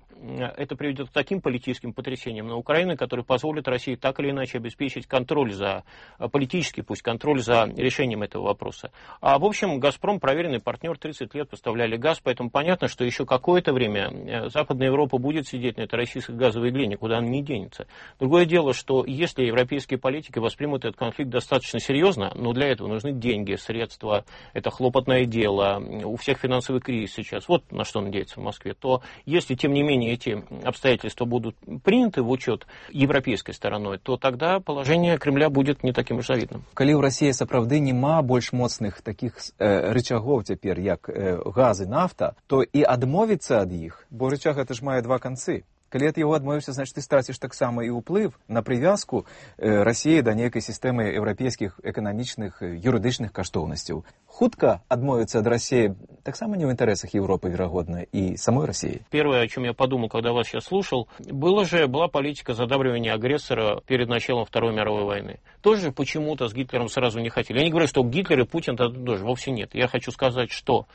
это приведет к таким политическим потрясениям на Украине, которые позволят России так или иначе обеспечить контроль за, политический пусть, контроль за решением этого вопроса. А в общем, «Газпром» проверенный партнер, 30 лет поставляли газ, поэтому понятно, что еще какое-то время Западная Европа будет сидеть на этой российской газовой игле, никуда она не денется. Другое дело, что если европейские политики воспримут этот конфликт достаточно серьезно, но для этого нужны деньги, средства, это хлопотное дело, у всех финансовый кризис сейчас, вот на что надеяться в Москве, то если, тем не менее, эти обстоятельства будут приняты в учет европейской стороной, то тогда положение Кремля будет не таким уж завидным. Калі ў России сапраўды няма больш моцных таких рычагоў цяпер, як газ і нафта, то і адмовіцца ад іх, бо рычаг это ж мае 2 канцы. Калі ад яго адмовіўся, значит, ты страціш таксама і ўплыв на прывязку России да нейкай сістэмы еўрапейскіх эканамічных, юрыдычных каштоўнасцяў. Хутка адмовіцца ад России таксама не в интересах Европы, вероятно, и самой России. Первое, о чем я подумал, когда вас сейчас слушал, была политика задабривания агрессора перед началом Второй мировой войны. Тоже почему-то с Гитлером сразу не хотели. Я не говорю, что Гитлер и Путин тоже, вовсе нет. Я хочу сказать, что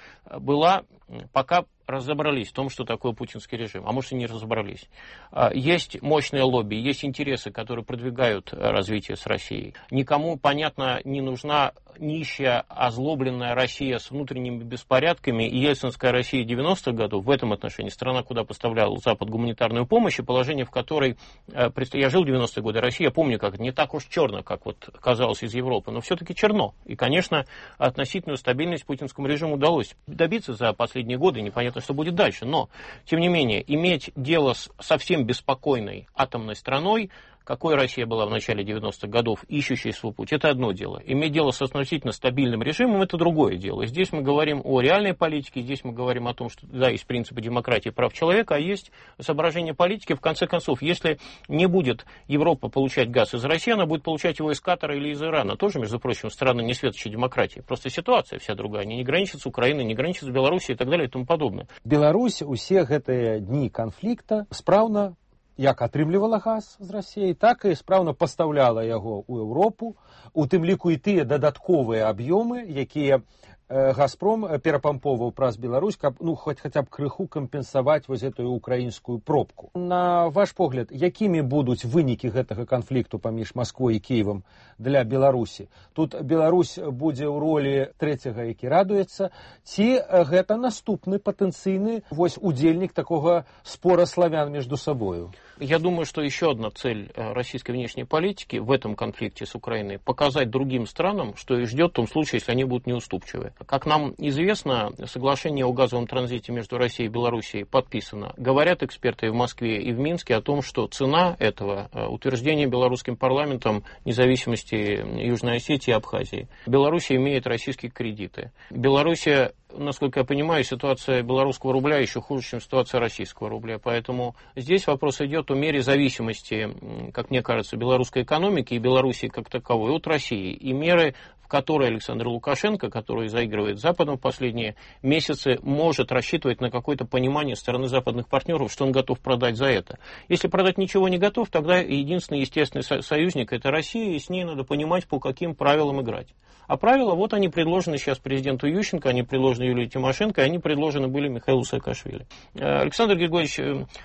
пока разобрались в том, что такое путинский режим, а может и не разобрались. Есть мощное лобби, есть интересы, которые продвигают развитие с Россией. Никому, понятно, не нужна нищая, озлобленная Россия с внутренними беспорядками, и ельцинская Россия 90-х годов в этом отношении страна, куда поставлял Запад гуманитарную помощь, и положение, в которой я жил в 90-е годы, Россия, я помню, как не так уж черно, как вот казалось из Европы, но все-таки черно. И, конечно, относительную стабильность путинскому режиму удалось добиться за последние годы, непонятно, что будет дальше. Но, тем не менее, иметь дело с совсем беспокойной атомной страной, какой Россия была в начале 90-х годов, ищущей свой путь, это одно дело. Иметь дело с относительно стабильным режимом, это другое дело. Здесь мы говорим о реальной политике, здесь мы говорим о том, что да, есть принципы демократии и прав человека, а есть соображения политики. В конце концов, если не будет Европа получать газ из России, она будет получать его из Катара или из Ирана. Тоже, между прочим, страны не светочей демократии. Просто ситуация вся другая. Они не граничат с Украиной, не граничат с Белоруссией и так далее и тому подобное. Беларусь усе гэтыя дні канфлікта спраўна як атрымлівала газ з Россией, так і спраўна пастаўляла яго ў Еўропу, у тым ліку і тыя дадатковыя аб'ёмы, якія «Газпром» перапамповаў праз Беларусь, каб хаця б крыху кампенсаваць вось гэтую украінскую пробку. На ваш погляд, якімі будуць вынікі гэтага канфлікту паміж Масквой і Кіевам для Беларусі? Тут Беларусь будзе ў ролі трэцяга, які радуецца, ці гэта наступны патэнцыйны удзельнік такога спора славян между собою? Я думаю, что еще одна цель российской внешней политики в этом конфликте с Украиной – показать другим странам, что их ждет в том случае, если они будут неуступчивы. Как нам известно, соглашение о газовом транзите между Россией и Белоруссией подписано. Говорят эксперты и в Москве, и в Минске о том, что цена этого утверждения белорусским парламентом независимости Южной Осетии и Абхазии. Белоруссия имеет российские кредиты. Белоруссия, насколько я понимаю, ситуация белорусского рубля еще хуже, чем ситуация российского рубля. Поэтому здесь вопрос идет о мере зависимости, как мне кажется, белорусской экономики и Белоруссии как таковой от России. И меры, в которой Александр Лукашенко, который заигрывает с Западом в последние месяцы, может рассчитывать на какое-то понимание стороны западных партнеров, что он готов продать за это. Если продать ничего не готов, тогда единственный естественный союзник – это Россия, и с ней надо понимать, по каким правилам играть. А правила, вот они предложены сейчас президенту Ющенко, они предложены Юлии Тимошенко, они предложены были Михаилу Саакашвили. Александр Григорьевич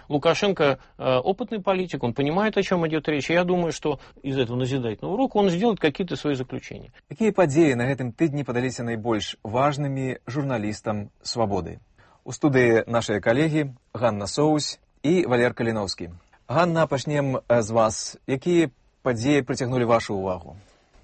Лукашенко опытный политик, он понимает, о чем идет речь. И я думаю, что из этого назидательного урока он сделает какие-то свои заключения. Какие подеи на этом тыдні падаліся найбольш важными журналистам «Свободы»? У студии наши коллеги Ганна Соусь и Валер Калиновский. Ганна, пачнем з вас. Какие подеи притягнули вашу увагу?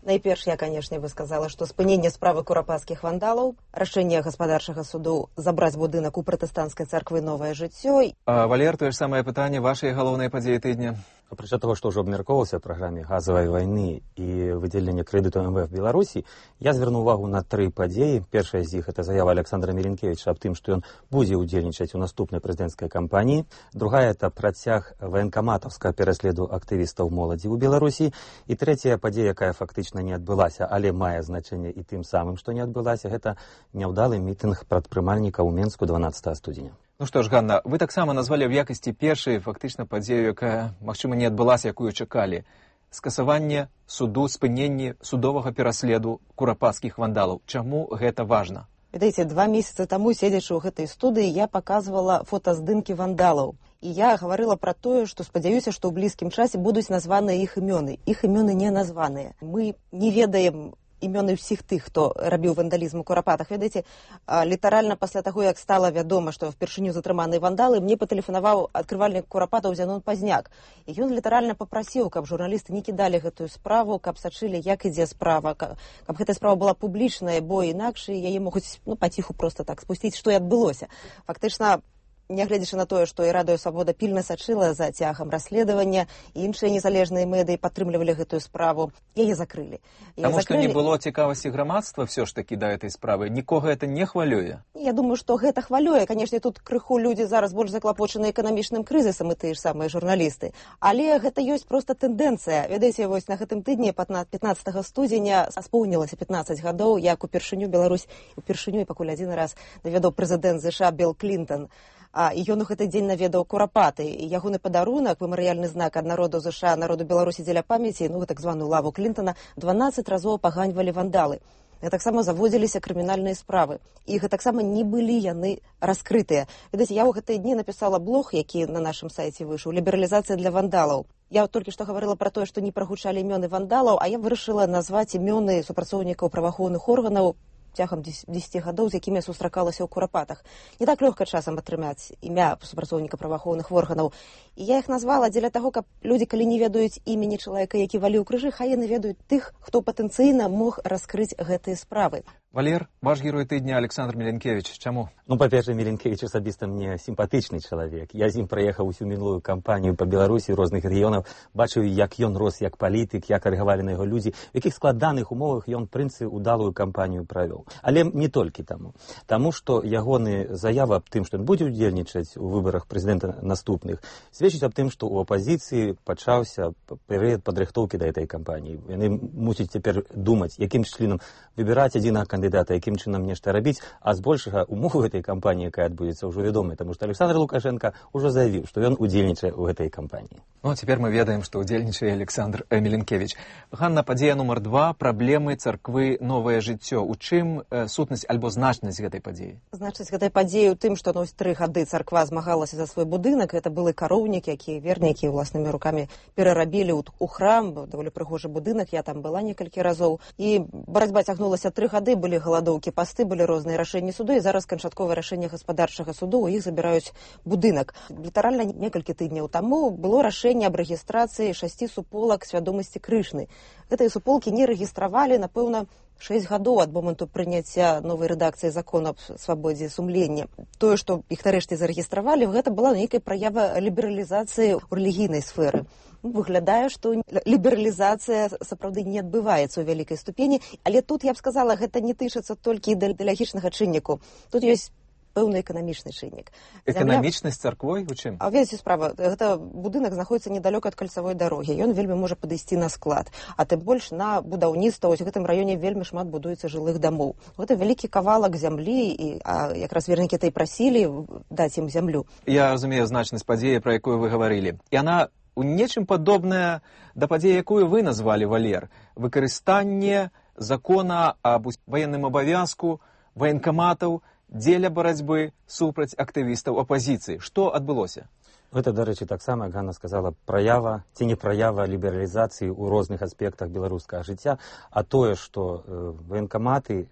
Найперш я, канешне, бы сказала, што спыненне справы курапацкіх вандалаў, рашэнне гаспадарчага суду забраць будынак у пратэстанцкай царквы «Новае жыццё». Валер, тое ж самае пытанне, вашыя галоўныя падзеі тыдня? Апрача того, што ўжо абмяркоўвалася ў праграме газавай вайны і выдзелення крэдыту МВФ Беларусі, я звярну увагу на 3 падзеі. Першая з іх — это заява Александра Миленкевича аб тым, што ён будзе ўдзельнічаць у наступнай прэзідэнцкай кампаніі. Другая — это працяг ваенкаматаўскага пераследу актывістаў моладзі ў Беларусі. І трэцяя падзея, якая фактычна не адбылася, але мае значэнне і тым самым, што не адбылася, гэта няўдалы мітынг прадпрымальнікаў у Менску 12 студзеня. Ну што ж, Ганна, вы таксама назвалі ў якасці першай фактычна падзею, якая, магчыма, не адбылася, якую чакалі. Скасаванне суду, спыненне судовага пераследу курапацкіх вандалаў. Чаму гэта важна? Ведаеце, 2 месяцы таму, седзячы ў гэтай студыі, я паказвала фотаздымкі вандалаў. І я гаварыла пра тое, што спадзяюся, што ў блізкім часе будуць названыя іх імёны. Іх імёны не названыя. Мы не ведаем імёны ўсіх тых, хто рабіў вандалізм у курапатах. Ведаеце, літаральна пасля таго, як стала вядома, што впершыню затрыманыя вандалы, мне патэлефанаваў адкрывальнік курапатаў Зянон Пазняк. І ён літаральна папрасіў, каб журналісты не кідалі гэтую справу, каб сачылі, як ідзе справа, каб гэтая справа была публічная, бо інакш яе могуць паціху проста так спусціць, што і адбылося. Фактычна, нягледзячы на тое, што і Радыё Свабода пільна сачыла за цягам расследавання, і іншыя незалежныя медыі падтрымлівалі гэтую справу, яе закрылі. Таму што не было цікавасці грамадства все ж такі да этой справы. Нікога гэта не хвалюе? Я думаю, што гэта хвалюе. Канешне, тут крыху людзі зараз больш заклапочаны эканамічным крызісам, і тыя ж самыя журналісты. Але гэта ёсць проста тэндэнцыя. Ведаеце, вось на гэтым тыдні 15 студзеня споўнілася 15 гадоў, як упершыню Беларусь, упершыню і пакуль адзін раз наведаў прэзідэнт ЗША Білл Клінтон. І ён у гэты дзень наведаў курапаты. І ягоны падарунак, мемарыяльны знак ад народу ЗША, народу Беларусі дзеля памяці, так званую лаву Клінтона, 12 разоў паганьвалі вандалы. Таксама заводзіліся крымінальныя справы. І таксама не былі яны раскрытыя. Ведаеце, я ў гэтыя дні напісала блог, які на нашым сайце выйшаў, «Лібералізацыя для вандалаў». Я толькі што гаварыла пра тое, што не прагучалі імёны вандалаў, а я вырашыла назваць імёны супрацоўнікаў праваахоўных органаў цягам 10 гадоў, з якімі я сустракалася ў курапатах. Не так лёгка часам атрымаць імя супрацоўніка праваахоўных органаў. І я іх назвала дзеля таго, каб людзі, калі не ведаюць імені чалавека, які валіў крыжы, хай яны ведаюць тых, хто патэнцыйна мог раскрыць гэтыя справы. Валер, ваш герой тыдня Александр Миленкевич. Чаму? Па-першае, Миленкевич асабіста мне сімпатычны чалавек. Я з ім праехаў усю мінулую кампанію па Беларусі, розных рэгіёнаў, бачыў, як ён рос як палітык, як рэагавалі на яго людзі, у якіх складаных умовах ён, прынцы, удалую кампанію правёў. Але не толькі таму. Таму, што ягоны заява аб тым, што ён будзе ўдзельнічаць у выбарах прэзідэнта наступных, сведчыць аб тым, што ў апазіцыі пачаўся перыяд падрыхтоўкі да гэтай кампаніі. Яны мусяць цяпер думаць, якім чынам выбіраць адзінага кандыдата, якім чынам нешта рабіць, а збольшага умовы гэтай кампаніі, якая адбудзецца, ўжо вядомая, таму што Александр Лукашенко ўжо заявіў, што ён удзельнічае ў гэтай кампаніі. Ну, цяпер мы ведаем, што ўдзельнічае Александр Миленкевич. Ганна, падзея нумар 2, праблемы царквы «Новае жыццё». У чым сутнасць альбо значнасць гэтай падзеі? Значнасць гэтай падзеі ў тым, што 3 гады царква змагалася за свой будынак. Гэта былы кароўнік, якія вернікі ўласнымі рукамі перарабілі ў храм, даволі прыгожы будынак, я там была некалькі разоў. І барацьба цягнулася 3 гады, былі галадоўкі, пасты, былі розныя рашэнні суду, і зараз канчатковае рашэнне гаспадарчага суду, у іх забіраюць будынак. Літаральна некалькі тыдняў таму было рашэнне аб рэгістрацыі 6 суполак свядомасці Крышны. Гэтыя суполкі не рэгістравалі, напэўна, 6 гадоў ад моманту прыняцця новай рэдакцыі закона аб свабодзе сумлення. Тое, што іх нарэшце зарэгістравалі, гэта была нейкая праява лібералізацыі ў рэлігійнай сферы. Выглядае, што лібералізацыя сапраўды не адбываецца ў вялікай ступені, але тут, я б сказала, гэта не тычыцца толькі ідэалагічнага чынніку. Тут ёсць пэўны эканамічны чыннік. Эканамічнасць царквой у чым? А ведаеце справа, гэта будынак знаходіцца недалёка ад кальцавой дарогі, ён вельмі можа падысці на склад, а тым больш на будаўніцтва. Вось у гэтым раёне вельмі шмат будуецца жылых дамоў. Гэта вялікі кавалак зямлі, і якраз вернікі і прасілі даць ім зямлю. Я разумею значнасць падзеі, пра якую вы гаварылі. І яна у нечым падобная да падзеі, якую вы назвалі, Валер. Выкарыстанне закона аб ваенным абавязку ваенкаматаў дзеля барацьбы супраць актывістаў апазіцыі. Што адбылося? Гэта, дарэчы, таксама, як Ганна сказала, праява ці не праява лібералізацыі ў розных аспектах беларускага жыцця, а тое, што военкаматы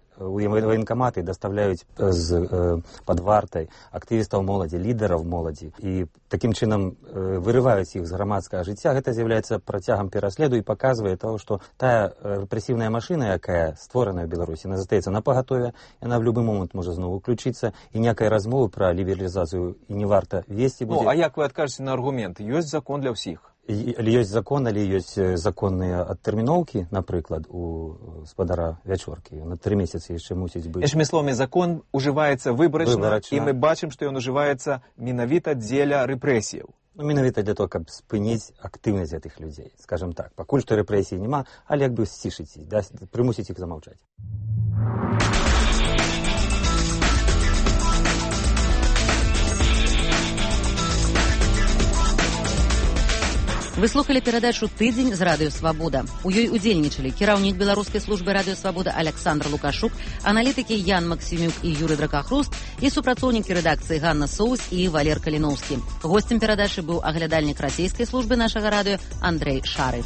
даставляюць пад вартай актывістаў моладзі, лідараў моладзі, і такім чынам вырываюць іх з грамадскага жыцця, гэта з'яўляецца працягам пераследу і паказвае того, што тая рэпрэсіўная машына, якая створаная ў Беларусі, яна застаецца на пагатове, яна в любы момант можа зноў уключыцца, і ніякай размовы пра лібералізацыю і не варта весці будзе. Ну, а як вы адкажаце на аргумент? Ёсць закон для ўсіх. Але ёсць закон, але ёсць законныя адтэрміноўкі, напрыклад, у спадара Вячоркі. На 3 месяцы яшчэ мусіць быць. Іншымі словамі, закон ужываецца выбарачна, і мы бачым, што ён ужываецца менавіта дзеля рэпрэсіяў. Ну, менавіта для того, каб спыніць актыўнасць гэтых людзей. Скажам так, пакуль што рэпрэсій няма, але як бы сцішыць іх, прымусіць іх замаўчаць. Вы слухали перадачу «Тыдзень» з радыё «Свабода». У ёй удзельнічалі кіраўнік беларускай службы радыё «Свабода» Александр Лукашук, аналітыкі Ян Максімюк і Юрый Дракахруст і супрацоўнікі рэдакцыі Ганна Соус і Валер Каліноўскі. Госцем перадачы быў аглядальнік расійскай службы нашага радыё Андрэй Шарыф.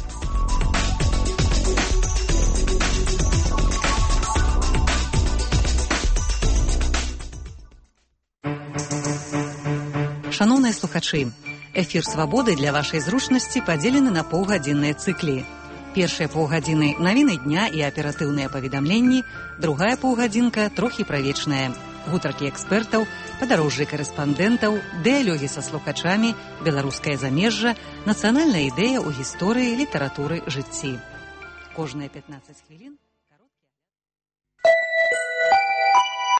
Шаноўныя слухачы, эфір «Свабоды» для вашай зручнасці падзелены на паўгадзінныя цыклі. Першыя паўгадзіны навіны дня і аператыўныя паведамленні, другая паўгадзінка трохі правечная. Гутаркі экспертаў, падарожжы карэспандэнтаў, дыялогі са слухачамі, беларускае замежжа, нацыянальная ідэя ў гісторыі, літаратуры, жыцці. Кожныя 15 хвілін